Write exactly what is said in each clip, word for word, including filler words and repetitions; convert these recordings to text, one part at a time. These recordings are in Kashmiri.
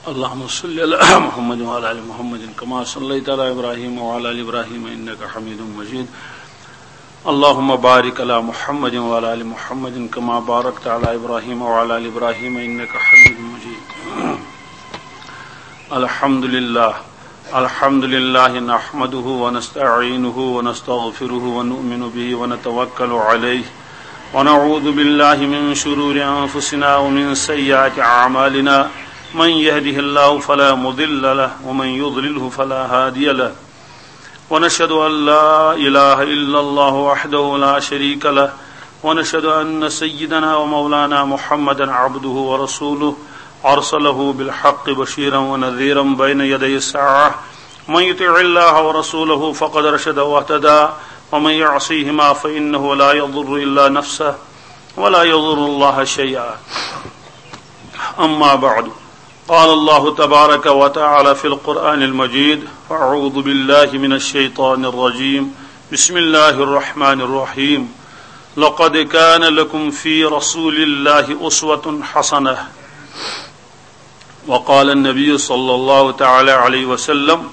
اللهم صل على محمد وعلى آل محمد كما صليت على إبراهيم وعلى آل إبراهيم إنك حميد مجيد. اللهم بارك على محمد وعلى آل محمد كما باركت على إبراهيم وعلى آل إبراهيم إنك حميد مجيد. الحمد لله. الحمد لله نحمده ونستعينه ونستغفره ونؤمن به ونتوكل عليه، ونعوذ بالله من شرور أنفسنا ومن سيئات أعمالنا. من يهده الله فلا مضل له ومن يضلله فلا هادي له. ونشهد أن لا إله إلا الله وحده لا شريك له، ونشهد أن سيدنا ومولانا محمدا عبده ورسوله، أرسله بالحق بشيرا ونذيرا بين يدي الساعة. من يطع الله ورسوله فقد رشد واهتدى، ومن يعصيهما فإنه لا يضر إلا نفسه ولا يضر الله شيئا. أما بعد، قال الله تبارك وتعالى في القرآن المجيد: أعوذ بالله من الشيطان الرجيم. بسم الله الرحمن الرحيم. لقد كان لكم في رسول الله أسوة حسنة. وقال النبي صلى الله تعالى عليه وسلم: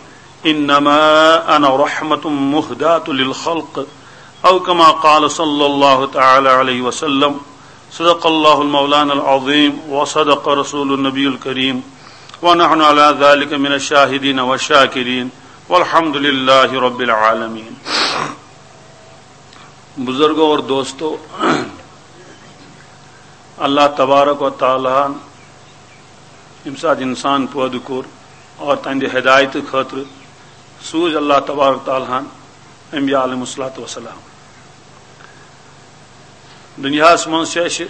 إنما أنا رحمة مهداة للخلق، أو كما قال صلى الله تعالى عليه وسلم. صدق الله المولانا العظيم وصدق رسول النبي الكريم، ونحن على ذلك من الشاهدين والشاكرين، والحمد لله رب العالمين. بزرگو اور دوستو، اللہ تبارک و تعالیٰ ہن ییٚمہِ ساتہٕ انسان پٲدٕ کوٚر اور تہنٛدِ ہدایتہٕ خٲطرٕ سوٗز اللہ تبارک و تعالیٰ ہن انبیاء علیہم الصلوۃ والسلام۔ دُنیاہس منٛز چھِ اَسہِ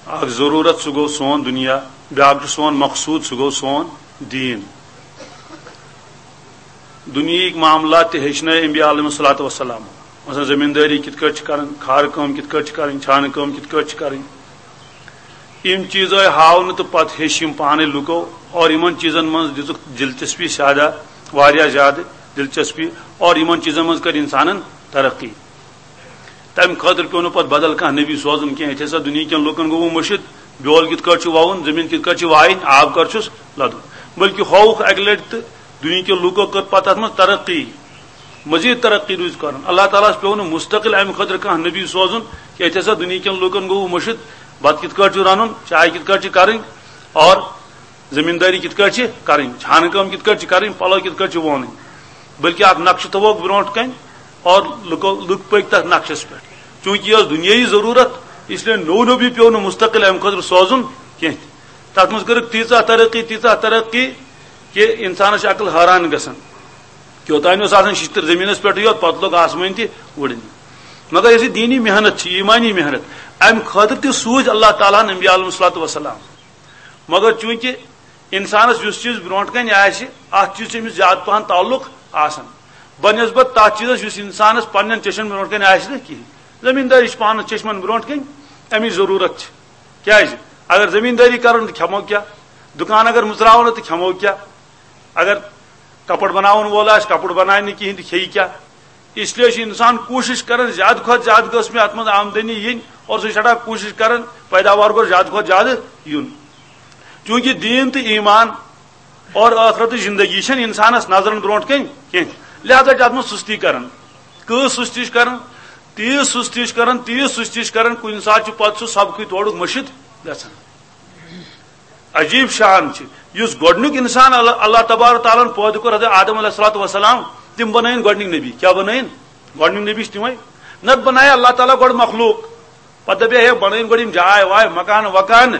اکھ ضروٗرت، سُہ گوٚو سون دُنیا، بیٛاکھ چھُ سون مقصوٗد، سُہ گوٚو سون دیٖن۔ دُنیہٕکۍ معاملات تہِ ہیٚچھنٲے انبیاء علیہم الصلوۃ والسلام۔ مثلاً زٔمیٖندٲری کِتھ کٲٹھۍ چھِ کَرٕنۍ، کھارٕ کٲم کِتھ کٲٹھۍ چھِ کَرٕنۍ، چھانہٕ کٲم کِتھ کٲٹھۍ چھِ کَرٕنۍ۔ یِم چیٖز آے ہاونہٕ تہٕ پَتہٕ ہیٚچھ یِم پانَے لُکو، اور یِمَن چیٖزَن منٛز دِژٕکھ دِلچسپی زیادٕ، واریاہ زیادٕ دِلچسپی، اور یِمَن چیٖزَن منٛز کٔر اِنسانَن ترقی۔ تَمہِ خٲطرٕ پیوٚو نہٕ پَتہٕ بدل کانٛہہ نبی سوزُن کینٛہہ۔ ییٚتہِ ہسا دُنیہٕکٮ۪ن لُکَن گوٚو وۄنۍ مٔشِتھ، بیول کِتھ کٲٹھۍ چھُ وَوُن، زٔمیٖن کِتھ کٲٹھۍ چھِ وایِنۍ، آب کَر چھُس لَدُن۔ بلکہِ ہووُکھ اَکہِ لَٹہِ تہٕ دُنیہٕکٮ۪و لُکو کٔر پَتہٕ اَتھ منٛز ترقی، مزیٖد ترقی روٗز کَرُن۔ اللہ تعالیٰ ہَس پیوٚو نہٕ مُستقل اَمہِ خٲطرٕ کانٛہہ نبی سوزُن کہِ ییٚتہِ ہسا دُنیہٕکٮ۪ن لُکَن گوٚو مٔشِتھ، بَتہٕ کِتھ کٲٹھۍ چھُ رَنُن، چاے کِتھ کٲٹھۍ چھِ کَرٕنۍ، اور زٔمیٖندٲری کِتھ کٲٹھۍ چھِ کَرٕنۍ، چھانہٕ کٲم کِتھ کٲٹھۍ چھِ کَرٕنۍ، پَلو کِتھ کٲٹھۍ چھِ وونٕنۍ۔ بلکہِ اَکھ نقشہٕ تھاووکھ برونٛٹھ کَنہِ اور لُکو، لُکھ پٔکۍ تَتھ نقشَس پٮ۪ٹھ۔ چوٗنٛکہِ یہِ ٲس دُنیٲیی ضروٗرت، اس لیے نوٚو نبی پیوٚو نہٕ مُستقل اَمہِ خٲطرٕ سوزُن کینٛہہ تہِ۔ تَتھ منٛز کٔرٕکھ تیٖژاہ ترقی، تیٖژاہ ترقی کہِ اِنسانَس چھِ عقل حٲران گژھان کہِ اوٚتام اوس آسان شِشتٕر زٔمیٖنَس پٮ۪ٹھٕے یوت، پَتہٕ لوٚگ آسمٲنۍ تہِ وُڈٕنۍ۔ مگر یۄس یہِ دیٖنی محنت چھِ، ایٖمانی محنت، اَمہِ خٲطرٕ تہِ سوٗزۍ اللہ تعالیٰ ہَن انبیاء علیہم الصلوۃ والسلام۔ مگر چوٗنٛکہِ اِنسانَس یُس چیٖز برونٛٹھ کَنہِ آسہِ، اَتھ چیٖز چھُ أمِس زیادٕ پَہَن تعلق آسان، بنسبت تَتھ چیٖزَس یُس اِنسانَس پنٛنٮ۪ن چیٚچھَن برونٛٹھ کَنہِ آسہِ نہٕ کِہیٖنۍ۔ زٔمیٖندٲری چھِ پانَس چیٚچھمَن برونٛٹھ کَنہِ، اَمِچ ضروٗرت چھِ۔ کیٛازِ؟ اگر زٔمیٖندٲری کَرو نہٕ تہٕ کھٮ۪مو کیٛاہ؟ دُکان اگر مُژراوو نہٕ تہٕ کھٮ۪مو کیٛاہ؟ اگر کپُر بناون وول آسہِ، کپُر بناوِ نہٕ کِہینۍ تہٕ کھیٚیہِ کیٛاہ؟ اس لیے چھُ انسان کوٗشِش کران زیادٕ کھۄتہٕ زیادٕ گٔژھ مےٚ اتھ منٛز آمدنی یِنۍ، اور سُہ چھُ سٮ۪ٹھاہ کوٗشِش کران پیداوار گوٚژھ زیادٕ کھۄتہٕ زیادٕ یُن۔ چوٗنٛکہِ دیٖن تہٕ ایٖمان اور ٲخرتٕچ زندگی چھَنہٕ انسانس نظرن برونٛٹھ کَنہِ کینٛہہ، لہذا چھِ اتھ منٛز سُستی کران۔ کۭژ سُستی چھِ کران؟ تیٖژ سُستی چھِ کران، تیٖژ سُستی چھِ کران، کُنہِ ساتہٕ چھُ پتہٕ سُہ سبقٕے تورُک مٔشِتھ گژھان۔ عجیب شان چھِ، یُس گۄڈٕنیُک انسان اللہ، اللہ تبارک تعالیٰ ہن پٲدٕ کوٚر، حضرت آدم علیہ الصلوۃ والسلام، تِم بنٲیِن گۄڈٕنِکۍ نبی۔ کیٛاہ بنٲیِن؟ گۄڈٕنیُک نبی چھِ تِمے۔ نتہٕ بنایہِ اللہ تعالیٰ گۄڈٕ مخلوق، پتہٕ دپہِ ہے بنٲیِن گۄڈٕ یِم جاے واے، مکان وکان،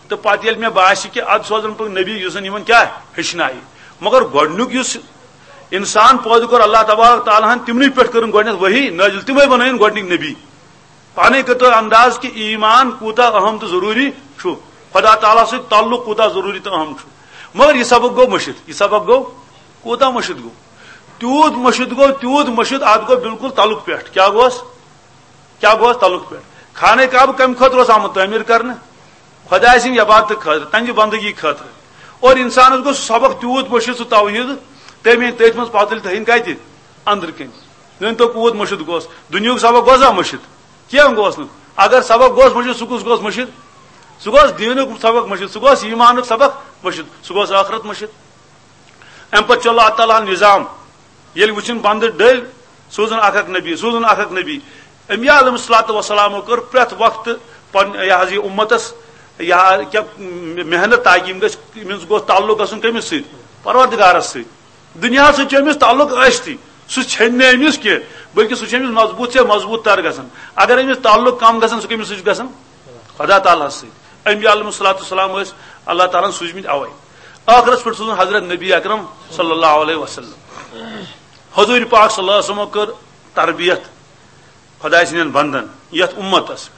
تہٕ پتہٕ ییٚلہِ مےٚ باسہِ کہِ ادٕ سوزن بہٕ نبی یُس زن یِمن کیٛاہ ہیٚچھنایہِ۔ مگر گۄڈٕنیُک یُس انسان پٲدٕ کوٚر اللہ تبارک تعالیٰ ہن، تِمنٕے پٮ۪ٹھ کٔرٕن گۄڈٕنیتھ وحی نٲزِل، تِمے بنٲیِن گۄڈٕنیُک نبی۔ پانے کٔرتو انداز کہِ ایمان کوٗتاہ اہم تہٕ ضروٗری چھُ، خدا تعالیٰ سۭتۍ تعلق کوٗتاہ ضروٗری تہٕ اہم چھُ۔ مگر یہِ سبق گوٚو مٔشِتھ، یہِ سبق گوٚو کوٗتاہ مٔشِتھ گوٚو؟ تیوٗت مٔشِتھ گوٚو، تیوٗت مٔشِتھ، اتھ گوٚو بالکل تلُک پٮ۪ٹھ۔ کیٛاہ گوٚوس؟ کیٛاہ گوٚوس تلُک پٮ۪ٹھ؟ خانہ کعبہٕ کمہِ خٲطرٕ اوس آمُت تعمیٖر کرنہٕ؟ خدایہِ سٕنٛدِ عبادتہٕ خٲطرٕ، تہنٛدِ بندگی خٲطرٕ۔ اور انسانس گوٚو سُہ سبق تیوٗت مٔشِتھ، سُہ توحیٖد، تمے تٔتھۍ منٛز پتہٕ تُلہِ تھٲیِن کتہِ؟ أنٛدرٕ کَنہِ۔ مٲنۍ تو کوٗت مٔشِتھ گوٚوس؟ دُنیاہُک سبق گوٚو زا مٔشِتھ؟ کینٛہہ گوٚوس نہٕ۔ اگر سبق گوٚوس مٔشِتھ، سُہ کُس گوٚوس مٔشِتھ؟ سُہ گوٚوس دیٖنُک سبق مٔشِتھ، سُہ گوٚوس ایٖمانُک سبق مٔشِتھ، سُہ گوٚو ٲخرت مٔشِتھ۔ اَمہِ پتہٕ چھُ اللہ تعالیٰ ہن نظام، ییٚلہِ وٕچھُن بندٕ ڈٔلۍ، سوٗزُن اکھ اکھ نبی، سوٗزُن اکھ اکھ نبی۔ انبیاء علیہ الصلوۃ والسلامو کٔر پرٛٮ۪تھ وقتہٕ پن-، یہِ حظ یہِ اُمتس یہِ حظ کیٛاہ محنت، تاکہِ یِم گژھِ، یِمن گوٚژھ تعلق گژھُن کٔمِس سۭتۍ؟ پروردگارس سۭتۍ۔ دُنیاہس سۭتۍ چھُ أمِس تعلق ٲستی، سُہ ژھیٚنہِ نہٕ أمِس کینٛہہ، بلکہِ سُہ چھُ أمِس مضبوٗط سے مضبوٗط تر گژھان۔ اگر أمِس تعلق کم گژھان، سُہ کٔمِس سۭتۍ چھُ گژھان؟ خدا تعالیٰ ہس سۭتۍ۔ انبیاء علیہ الصلوۃ والسلام ٲسۍ اللہ تعالیٰ ہن سوٗزمٕتۍ اوے۔ ٲخرس پٮ۪ٹھ سوٗزُن حضرت نبی اکرم صلی اللہ علیہ وسلم۔ حضور پاک صلی اللہ علیہ وسلمو کٔر تربیت خداے سٕنٛدٮ۪ن بندن یتھ اُمتس۔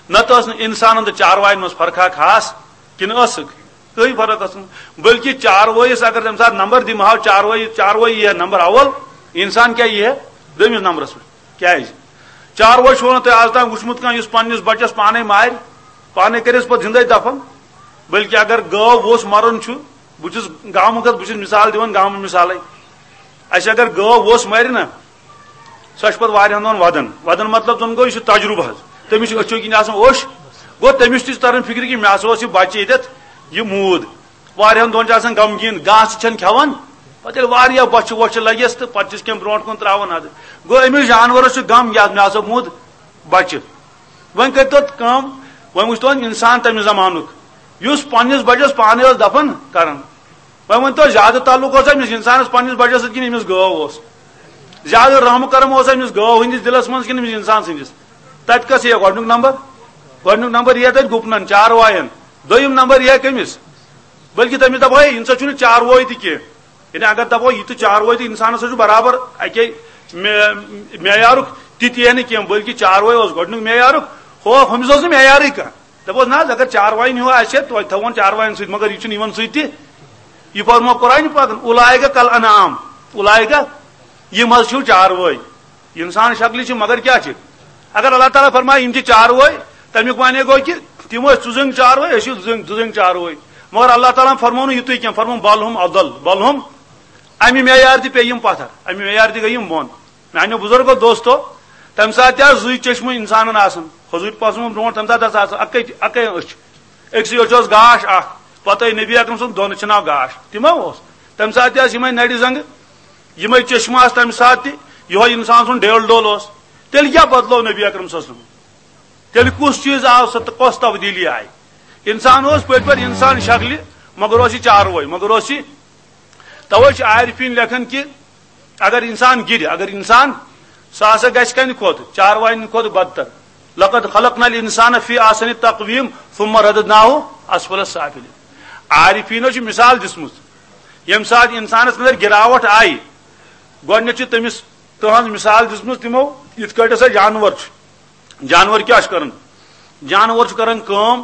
نتہٕ ٲس نہٕ انسانن تہٕ چاروایَن منٛز فرقا خاص، کِنہٕ ٲسٕکھ؟ کٕہٕنۍ فرق ٲس نہٕ۔ بلکہِ چاروٲیِس اگر تمہِ ساتہٕ نمبر دِمہٕ ہاو، چاروٲیی، چاروٲیی یی ہا نمبر اول، انسان کیٛاہ یی ہا دوٚیمِس نمبرس پٮ۪ٹھ؟ کیٛازِ؟ چاروٲے چھُو نہٕ تۄہہِ آز تام وُچھمُت کانٛہہ یُس پننِس بچس پانے مارِ، پانے کٔرِس پتہٕ زندے دفن؟ بلکہِ اگر گٲو ووٚژھ مرُن چھُ، بہٕ چھُس گامُک حظ، بہٕ چھُس مثال دِوان، گامہٕ مثالے۔ اسہِ اگر گٲو ووٚژھ مرِ نا، سۄ چھِ پتہٕ واریاہن دۄہن ودان۔ ودان مطلب زن گوٚو، یہِ چھُ تجربہٕ حظ۔ تٔمِس چھُ أچھو کِنۍ آسان اوٚش۔ گوٚو، تٔمِس تہِ چھُ تران فکرِ کہِ مےٚ ہسا اوس یہِ بچہِ ییٚتٮ۪تھ، یہِ موٗد۔ واریاہن دۄہن چھُ آسان غمگیٖن، گاسہٕ چھَنہٕ کھٮ۪وان۔ پتہٕ ییٚلہِ واریاہ بۄچھِ وۄچھِ لگٮ۪س تہٕ پتہٕ چھِس کینٛہہ برونٛٹھ کُن تراوان حظ۔ گوٚو، أمِس جانورس چھُ غم، یتھ مےٚ ہسا موٗد بچہِ۔ وۄنۍ کٔرۍتو کٲم، وۄنۍ وٕچھتو وۄنۍ انسان تمہِ زمانُک، یُس پننِس بچس پانے اوس دفن کران۔ وۄنۍ ؤنۍ تو، زیادٕ تعلق اوس أمِس انسانس پننِس بچس سۭتۍ کِنہٕ أمِس گٲو اوس؟ زیادٕ رحم و کرم اوس أمِس گٲو ہٕنٛدِس دِلس منٛز کِنہٕ أمِس انسان سٕنٛدِس؟ تتہِ کس یِیہِ گۄڈنیُک نمبر؟ گۄڈنیُک نمبر یِیہِ تتہِ گُپنن، چاروایَن۔ دوٚیِم نمبر یِیہِ کٔمِس؟ بلکہِ تٔمِس دپو، ہے، انسان چھُنہٕ چاروٲے تہِ کینٛہہ۔ یعنی اگر دپو، یہِ تہٕ چاروٲے تہٕ انسانس چھُ برابر اکے مے-، معیارُک، تہِ تہِ یی نہٕ کینٛہہ، بلکہِ چاروٲے اوس گۄڈنیُک معیارُک، ہُہ، ہُمِس اوس نہٕ معیارٕے کانٛہہ۔ دپوس، نہ حظ، اگر چاروایَن ہیوٗ آسہِ ہے، توتہِ تھاوون چاروایَن سۭتۍ، مگر یہِ چھُنہٕ یِمن سۭتۍ تہِ۔ یہِ فرمو قرآنِ پاکن، "اولئک کل انعام"، اولئک، یِم حظ چھِو چاروٲے۔ انسان شکلہِ چھِ، مگر کیٛاہ چھِ؟ اگر اللہ تعالیٰ فرمایہِ، یِم چھِ چاروٲے، تَمیُک معنی گوٚو کہِ تِم ٲسۍ ژُ زٔنٛگۍ چاروٲے، أسۍ چھِ زٔنٛگۍ، زٕ زٔنٛگۍ چاروٲے۔ مگر اللہ تعالیٰ ہن فرموو نہٕ یِتُے کینٛہہ، فرموو، "بل ہم اضل"، بل ہم، اَمہِ معیار تہِ پیٚیہِ یِم پتھر، اَمہِ معیار تہِ گٔے یِم بۄن۔ میانیو بزرگو دوستو، تمہِ ساتہٕ تہِ آسہٕ زٕے چشمہٕ انسانن آسان۔ حضوٗر پاسمو برونٛٹھ تمہِ ساتہٕ ہسا آسہٕ اکے، اکے أچھ۔ أکسٕے أچھ اوس گاش اکھ۔ پتہٕ آیہِ نبی اکرم سُنٛد دۄن أچھن آو گاش۔ تہِ ما اوس؟ تمہِ ساتہٕ تہِ آسہٕ یِمے نرِ زنٛگہٕ، یِمے چشمہٕ آسہٕ تمہِ ساتہٕ تہِ۔ یِہوے انسان سُنٛد ڈیل ڈول اوس۔ تیٚلہِ کیٛاہ بدلوو نبی اکرم صلی اللہ علیہ وسلم؟ تیٚلہِ کُس چیٖز آو سُہ تہٕ کۄس تبدیٖلی آیہِ؟ انسان اوس پٔتۍ پٲٹھۍ انسان شکلہِ، مگر اوس یہِ چاروٲے، مگر اوس یہِ۔ توے چھِ عارفیٖن لیکھان کہِ اگر انسان گِرِ، اگر انسان، سُہ ہسا گژھِ کَمہِ کھۄتہٕ؟ چاروایَن کھۄتہٕ بدتر۔ "لقد خلقنا الانسان فی احسن تقویم ثم رددناہ اسفل سافلین۔" عارفیٖنو چھِ مثال دِژمٕژ، ییٚمہِ ساتہٕ انسانس اندر گراوٹ آیہِ، گۄڈٕنیتھ چھِ تٔمِس تہنٛز مثال دِژمٕژ تِمو، یِتھ کٲٹھۍ ہسا جانور چھُ۔ جانور کیٛاہ چھُ کران؟ جانور چھُ کران کٲم،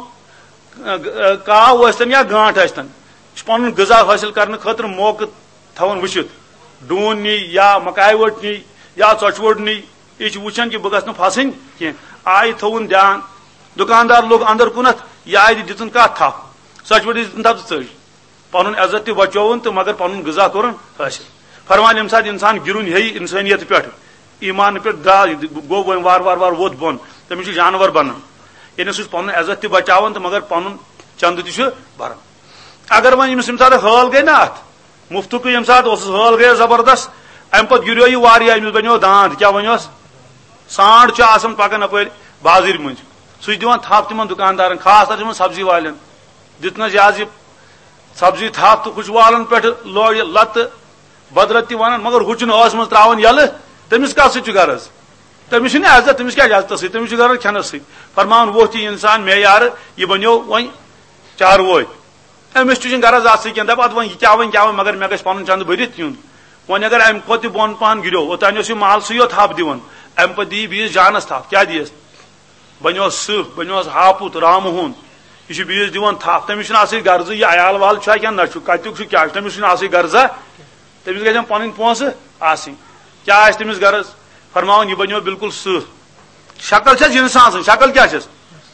گ-، کاو ٲسۍتن یا گانٹھ ٲسۍتن، یہِ چھُ پنُن غذا حٲصِل کرنہٕ خٲطرٕ موقعہٕ تھاوان وٕچھِتھ۔ ڈوٗن نی یا مکایہِ ؤٹ نی یا ژۄچہِ ووٚٹ نی، یہِ چھُ وٕچھان کہِ بہٕ گژھٕ نہٕ پھسٕنۍ کینٛہہ۔ آیہِ تھووُن دھیان، دُکاندار لوٚگ اندر کُنتھ، یہِ آیہِ دِژٕن کتھ تھپھ، ژۄچہِ ووٚٹ دِژٕن تھپھ تہٕ ژٔج۔ پنُن عزت تہِ بچووُن تہٕ مگر پنُن غذا کوٚرُن حٲصِل۔ فرمان، ییٚمہِ ساتہٕ انسان گِرُن ہیٚیہِ انسٲنیت پٮ۪ٹھ، ایمان پٮ۪ٹھ درٛاو، یہِ گوٚو وۄنۍ وارٕ وارٕ وارٕ ووٚتھ بۄن، تٔمِس چھُ جانور بنان۔ یعنی سُہ چھُ پنُن عزت تہِ بچاوان تہٕ مگر پنُن چندٕ تہِ چھُ بران۔ اگر وۄنۍ أمِس ییٚمہِ ساتہٕ حٲل گٔے نا اتھ، مفتُکٕے ییٚمہِ ساتہٕ اوسُس، حٲل گٔیَس زبردست، امہِ پتہٕ گِریو یہِ واریاہ، أمِس بنیو داند، کیٛاہ بنیوس؟ سانڈ چھُ آسان پکان اپٲرۍ بازٕرۍ مٔنٛزۍ، سُہ چھُ دِوان تھپھ تِمن دُکاندارن، خاص طور چھُ یِمن سبزی والٮ۪ن۔ دِتنس یہِ حظ یہِ سبزی تھپھ تہٕ ہُہ چھُ والان پٮ۪ٹھٕ لورِ لتہٕ بدرت تہِ ونان، مگر ہُہ چھُنہٕ ٲس منٛز تراوان یلہٕ۔ تٔمِس کتھ سۭتۍ چھُ غرض؟ تٔمِس چھُنہٕ عزت، تٔمِس کیٛاہ چھُ عزتس سۭتۍ؟ تٔمِس چھُ غرض کھٮ۪نس سۭتۍ۔ فرماوان، ووتھ یہِ انسان معیارٕ، یہِ بنیو وۄنۍ چاروٲے۔ أمِس تہِ چھُنہٕ غرض اتھ سۭتۍ کینٛہہ، دپان، ادٕ وۄنۍ یہِ کیٛاہ وۄنۍ کیٛاہ وۄنۍ، مگر مےٚ گژھِ پنُن چندٕ بٔرِتھ یُن۔ وۄنۍ اگر امہِ کھۄتہٕ تہِ بۄن پہن گِریو، اوٚتانۍ اوس یہِ مالسٕے یوت تھپھ دِوان، امہِ پتہٕ دِیہِ بیٚیِس جانس تھپھ، کیٛاہ دِیس؟ بنیوس سٕہہ، بنیوس ہاپُت، رامہٕ ہوٗن۔ یہِ چھُ بیٚیِس دِوان تھپھ، تٔمِس چھُنہٕ اَصٕل غرضٕے، یہِ عیال وال چھا کینٛہہ نہ چھُ، کَتیُک چھُ، کیٛاہ چھُ، تٔمِس چھُنہٕ اَصٕل غرضا۔ تٔمِس گژھن پَنٕنۍ پونٛسہٕ آسٕنۍ۔ کیٛاہ آسہِ تٔمِس غرض؟ فرماوان، یہِ بنیو بالکل سٕہہ۔ شکل چھَس اِنسان سٕنٛز، شکل کیٛاہ چھَس؟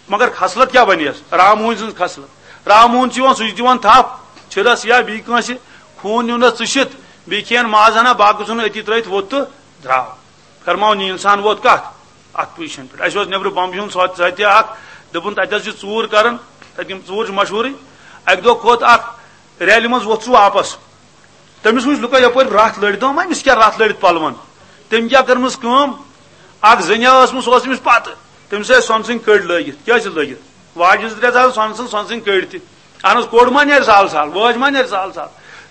مگر خصلت کیٛاہ بنیس؟ رامہٕ ہوٗنۍ سٕنٛز خصلت۔ رامہٕ ہوٗن چھُ یِوان، سُہ چھُ دِوان تھپھ چھِرس یا بیٚیہِ کٲنٛسہِ، خوٗن نیُن نہ ژٕ چھِتھ، بیٚیہِ کھٮ۪ن ماز ہنا، باقٕے ژھُن أتی ترٲوِتھ ووٚتھ تہٕ درٛاو۔ فرماوُن، یہِ انسان ووت کتھ؟ اتھ پوزیشن پٮ۪ٹھ۔ اسہِ اوس نیبرٕ بمبہِ ہُنٛد سۄ-، سۄ تہِ اکھ، دوٚپُن، تتہِ حظ چھِ ژوٗر کران، تتہِ یِم ژوٗر چھِ مشہوٗرٕے۔ اکہِ دۄہ کھوٚت اکھ ریلہِ منٛز ووٚتھ سُہ واپس۔ تٔمِس وٕچھ لُکو یپٲرۍ رتھ لٔڑِتھ، دوٚپُن، "أمِس کیٛاہ رتھ لٔڑِتھ پلون؟" تٔمۍ کیٛاہ کٔرمٕژ کٲم؟ اکھ زٔنیا ٲسمٕژ، سۄ ٲس أمِس پتہٕ۔ تٔمِس ٲسۍ سۄنہٕ سٕنٛدۍ کٔڑۍ لٲگِتھ۔ کیٛاہ ٲسِس لٲگِتھ؟ واجہِ زٕ ترٛےٚ آسہٕ سۄنہٕ سٕنٛز، سۄنہٕ سٕنٛدۍ کٔڑۍ تہِ۔ اہن حظ، کوٚڑ ما نیرِ سہل سہل؟ وٲج ما نیرِ سہل سہل؟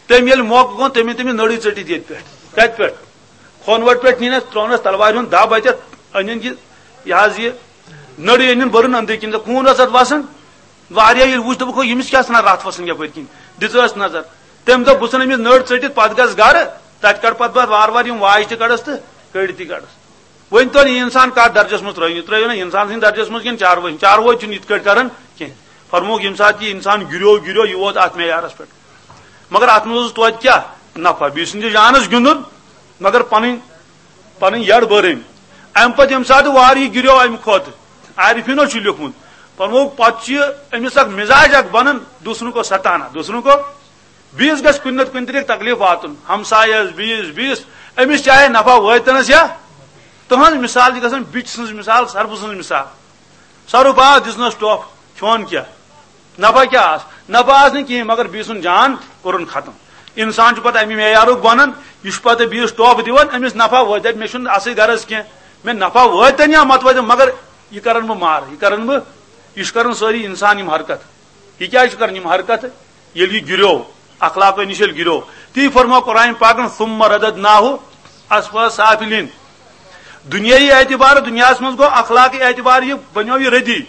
تٔمۍ ییٚلہِ موقعہٕ گوٚو، تٔمۍ أنۍ تٔمِس نٔرٕے ژٔٹِتھ ییٚتہِ پٮ۪ٹھ۔ کتہِ پٮ۪ٹھ؟ کھۄنوَٹ پٮ۪ٹھ نِنَس، ترٛوونَس تلوارِ ہُنٛد دَب اَتٮ۪تھ، أنِن یہِ، یہِ حظ یہِ نٔرٕے أنِن، بٔرٕن أنٛدٕرۍ کِنۍ، تہٕ خوٗن اوس اَتھ وَسان۔ واریاہ ییٚلہِ وُچھ، دوٚپُکھ، "ہو، ییٚمِس کیٛاہ ژھٕنان رَتھ وَسان یَپٲرۍ کِنۍ؟ دِژٕہَس نظر۔" تٔمۍ دوٚپ، "بہٕ ژھٕنہٕ أمِس نٔر ژٔٹِتھ، پَتہٕ گژھٕ گَرٕ، تَتہِ کَڑٕ پَتہٕ بہٕ اَتھ وارٕ وارٕ یِم واجہِ تہِ کَڑَس تہٕ کٔڑۍ تہِ کَڑَس۔" وۄنۍ توٚر یہِ اِنسان کَتھ درجَس منٛز ترٛٲوِو، یہِ ترٛٲوِو نہ اِنسان سٕنٛدِ درجَس منٛز کِنہٕ چاروٲے، چاروٲے چھُنہٕ یِتھ کٲٹھۍ کَران کینٛہہ۔ فرمووُکھ، ییٚمہِ ساتہٕ یہِ اِنسان گِریو، گِریو، یہِ ووت اَتھ معیارَس پٮ۪ٹھ۔ مگر اَتھ منٛز اوس توتہِ کیٛاہ نفع؟ بیٚیہِ سٕنٛدِس جانَس گِنٛدُن، مگر پَنٕنۍ، پَنٕنۍ یَڈ بٔر أمۍ۔ اَمہِ پَتہٕ ییٚمہِ ساتہٕ وارٕ یہِ گِریو اَمہِ کھۄتہٕ، عارفیٖنو چھُ لیوٚکھمُت، فرمووُکھ، پَتہٕ چھُ یہِ أمِس اَکھ مِزاج اَکھ بَنان، دوسروں کو ستانا، دوسروں کو، بیٚیِس گژھِ کُنہِ نَتہٕ کُنہِ طریٖقہٕ تکلیٖف واتُن، ہمسایَس، بیٚیِس، بیٚیِس، أمِس چاہے نفع وٲتۍتَنَس یا تُہٕنٛز مِثال چھِ گژھان بِچہِ سٕنٛز مِثال، سَرپہٕ سٕنٛز مِثال۔ سرو باز دِژنَس ٹۄپھ، کھیوٚن کیٛاہ؟ نفع کیٛاہ آس؟ نفع آس نہٕ کِہیٖنۍ، مگر بیٚیہِ سُنٛد جان کوٚرُن ختم۔ اِنسان چھُ پَتہٕ اَمہِ معیارُک بَنان، یہِ چھُ پَتہٕ بیٚیِس ٹۄپھ دِوان، أمِس نفع وٲتۍ، مےٚ چھُنہٕ اَصٕل غرض کینٛہہ، مےٚ نفع وٲتۍ یا مت وٲتۍ، مگر یہِ کَرَن بہٕ مارٕ، یہِ کَرَن بہٕ، یہِ چھُ کَران سٲری اِنسان یِم حرکت۔ یہِ کیٛازِ چھُ کَران یِم حرکت؟ ییٚلہِ یہِ گِریو، اخلاقو نِش ییٚلہِ گِریو، تی فرموو قرآن پاکن، "ثم رددناہ اسفل سافلین۔" دُنیاہی اعتبار، دُنیاہَس منٛز گوٚو اخلاقی اعتبار، یہِ بنیو یہِ ردی۔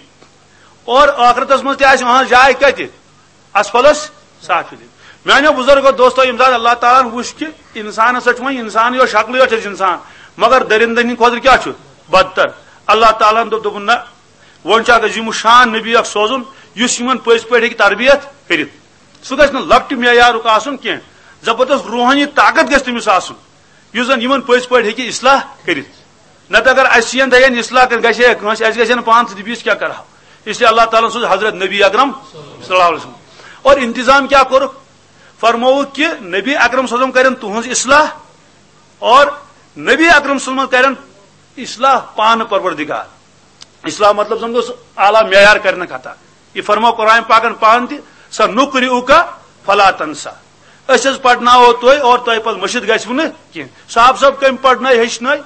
اور ٲخرتس منٛز تہِ آسہِ أہنٛز جاے کتہِ؟ اسفلس سافلین۔ میانیو بزرگو دوستو، ییٚمہِ ساتہٕ اللہ تعالیٰ ہن وُچھ کہِ انسانس سۭتۍ چھُ وۄنۍ انسان یوت شکلٕے یوت چھِ انسان، مگر درندن ہٕنٛدِ خٲطرٕ کیٛاہ چھُ؟ بدتر۔ اللہ تعالیٰ ہن دوٚپ، دوٚپُن، نہ، وۄنۍ چھُ اکھ عظیم الشان نبی اکھ سوزُن، یُس یِمن پٔزۍ پٲٹھۍ ہیٚکہِ تربیت کٔرِتھ۔ سُہ گژھِ نہٕ لۄکٹہِ معیارُک آسُن کینٛہہ، زبردست روحٲنی طاقت گژھِ تٔمِس آسُن، یُس زن یِمن پٔزۍ پٲٹھۍ ہیٚکہِ اصلاح کٔرِتھ۔ نتہٕ اگر اَسہِ یِن تھَین اصلاح کٔرِتھ، گژھِ ہے کٲنٛسہِ، اَسہِ گژھِ ہے نہٕ پانہٕ تہِ، بیٚیِس کیٛاہ کرہو؟ اس لیے اللہ تعالیٰ ہن سوز حضرت نبی اکرم صلی اللہ علیہ وسلم۔ اور انتظام کیٛاہ کوٚرُکھ؟ فرمووُکھ کہِ نبی اکرم صلی اللہ علیہ وسلم کرن تُہنٛز اصلاح، اور نبی اکرم صلی اللہ علیہ وسلم کرن اصلاح پانہٕ پروردگار۔ اصلاح مطلب زن گوٚو سُہ اعلیٰ معیار کرنہٕ خطا۔ یہِ فرموو قرآن پاکن پانہٕ تہِ، "سنقرئک فلا تنسیٰ"۔ أسۍ حظ پرناوو تُہۍ اور تۄہہِ پتہٕ مٔشِتھ گژھِوٕ نہٕ کینٛہہ۔ صاحب صٲب کٔمۍ پرنٲے، ہیٚچھنٲے؟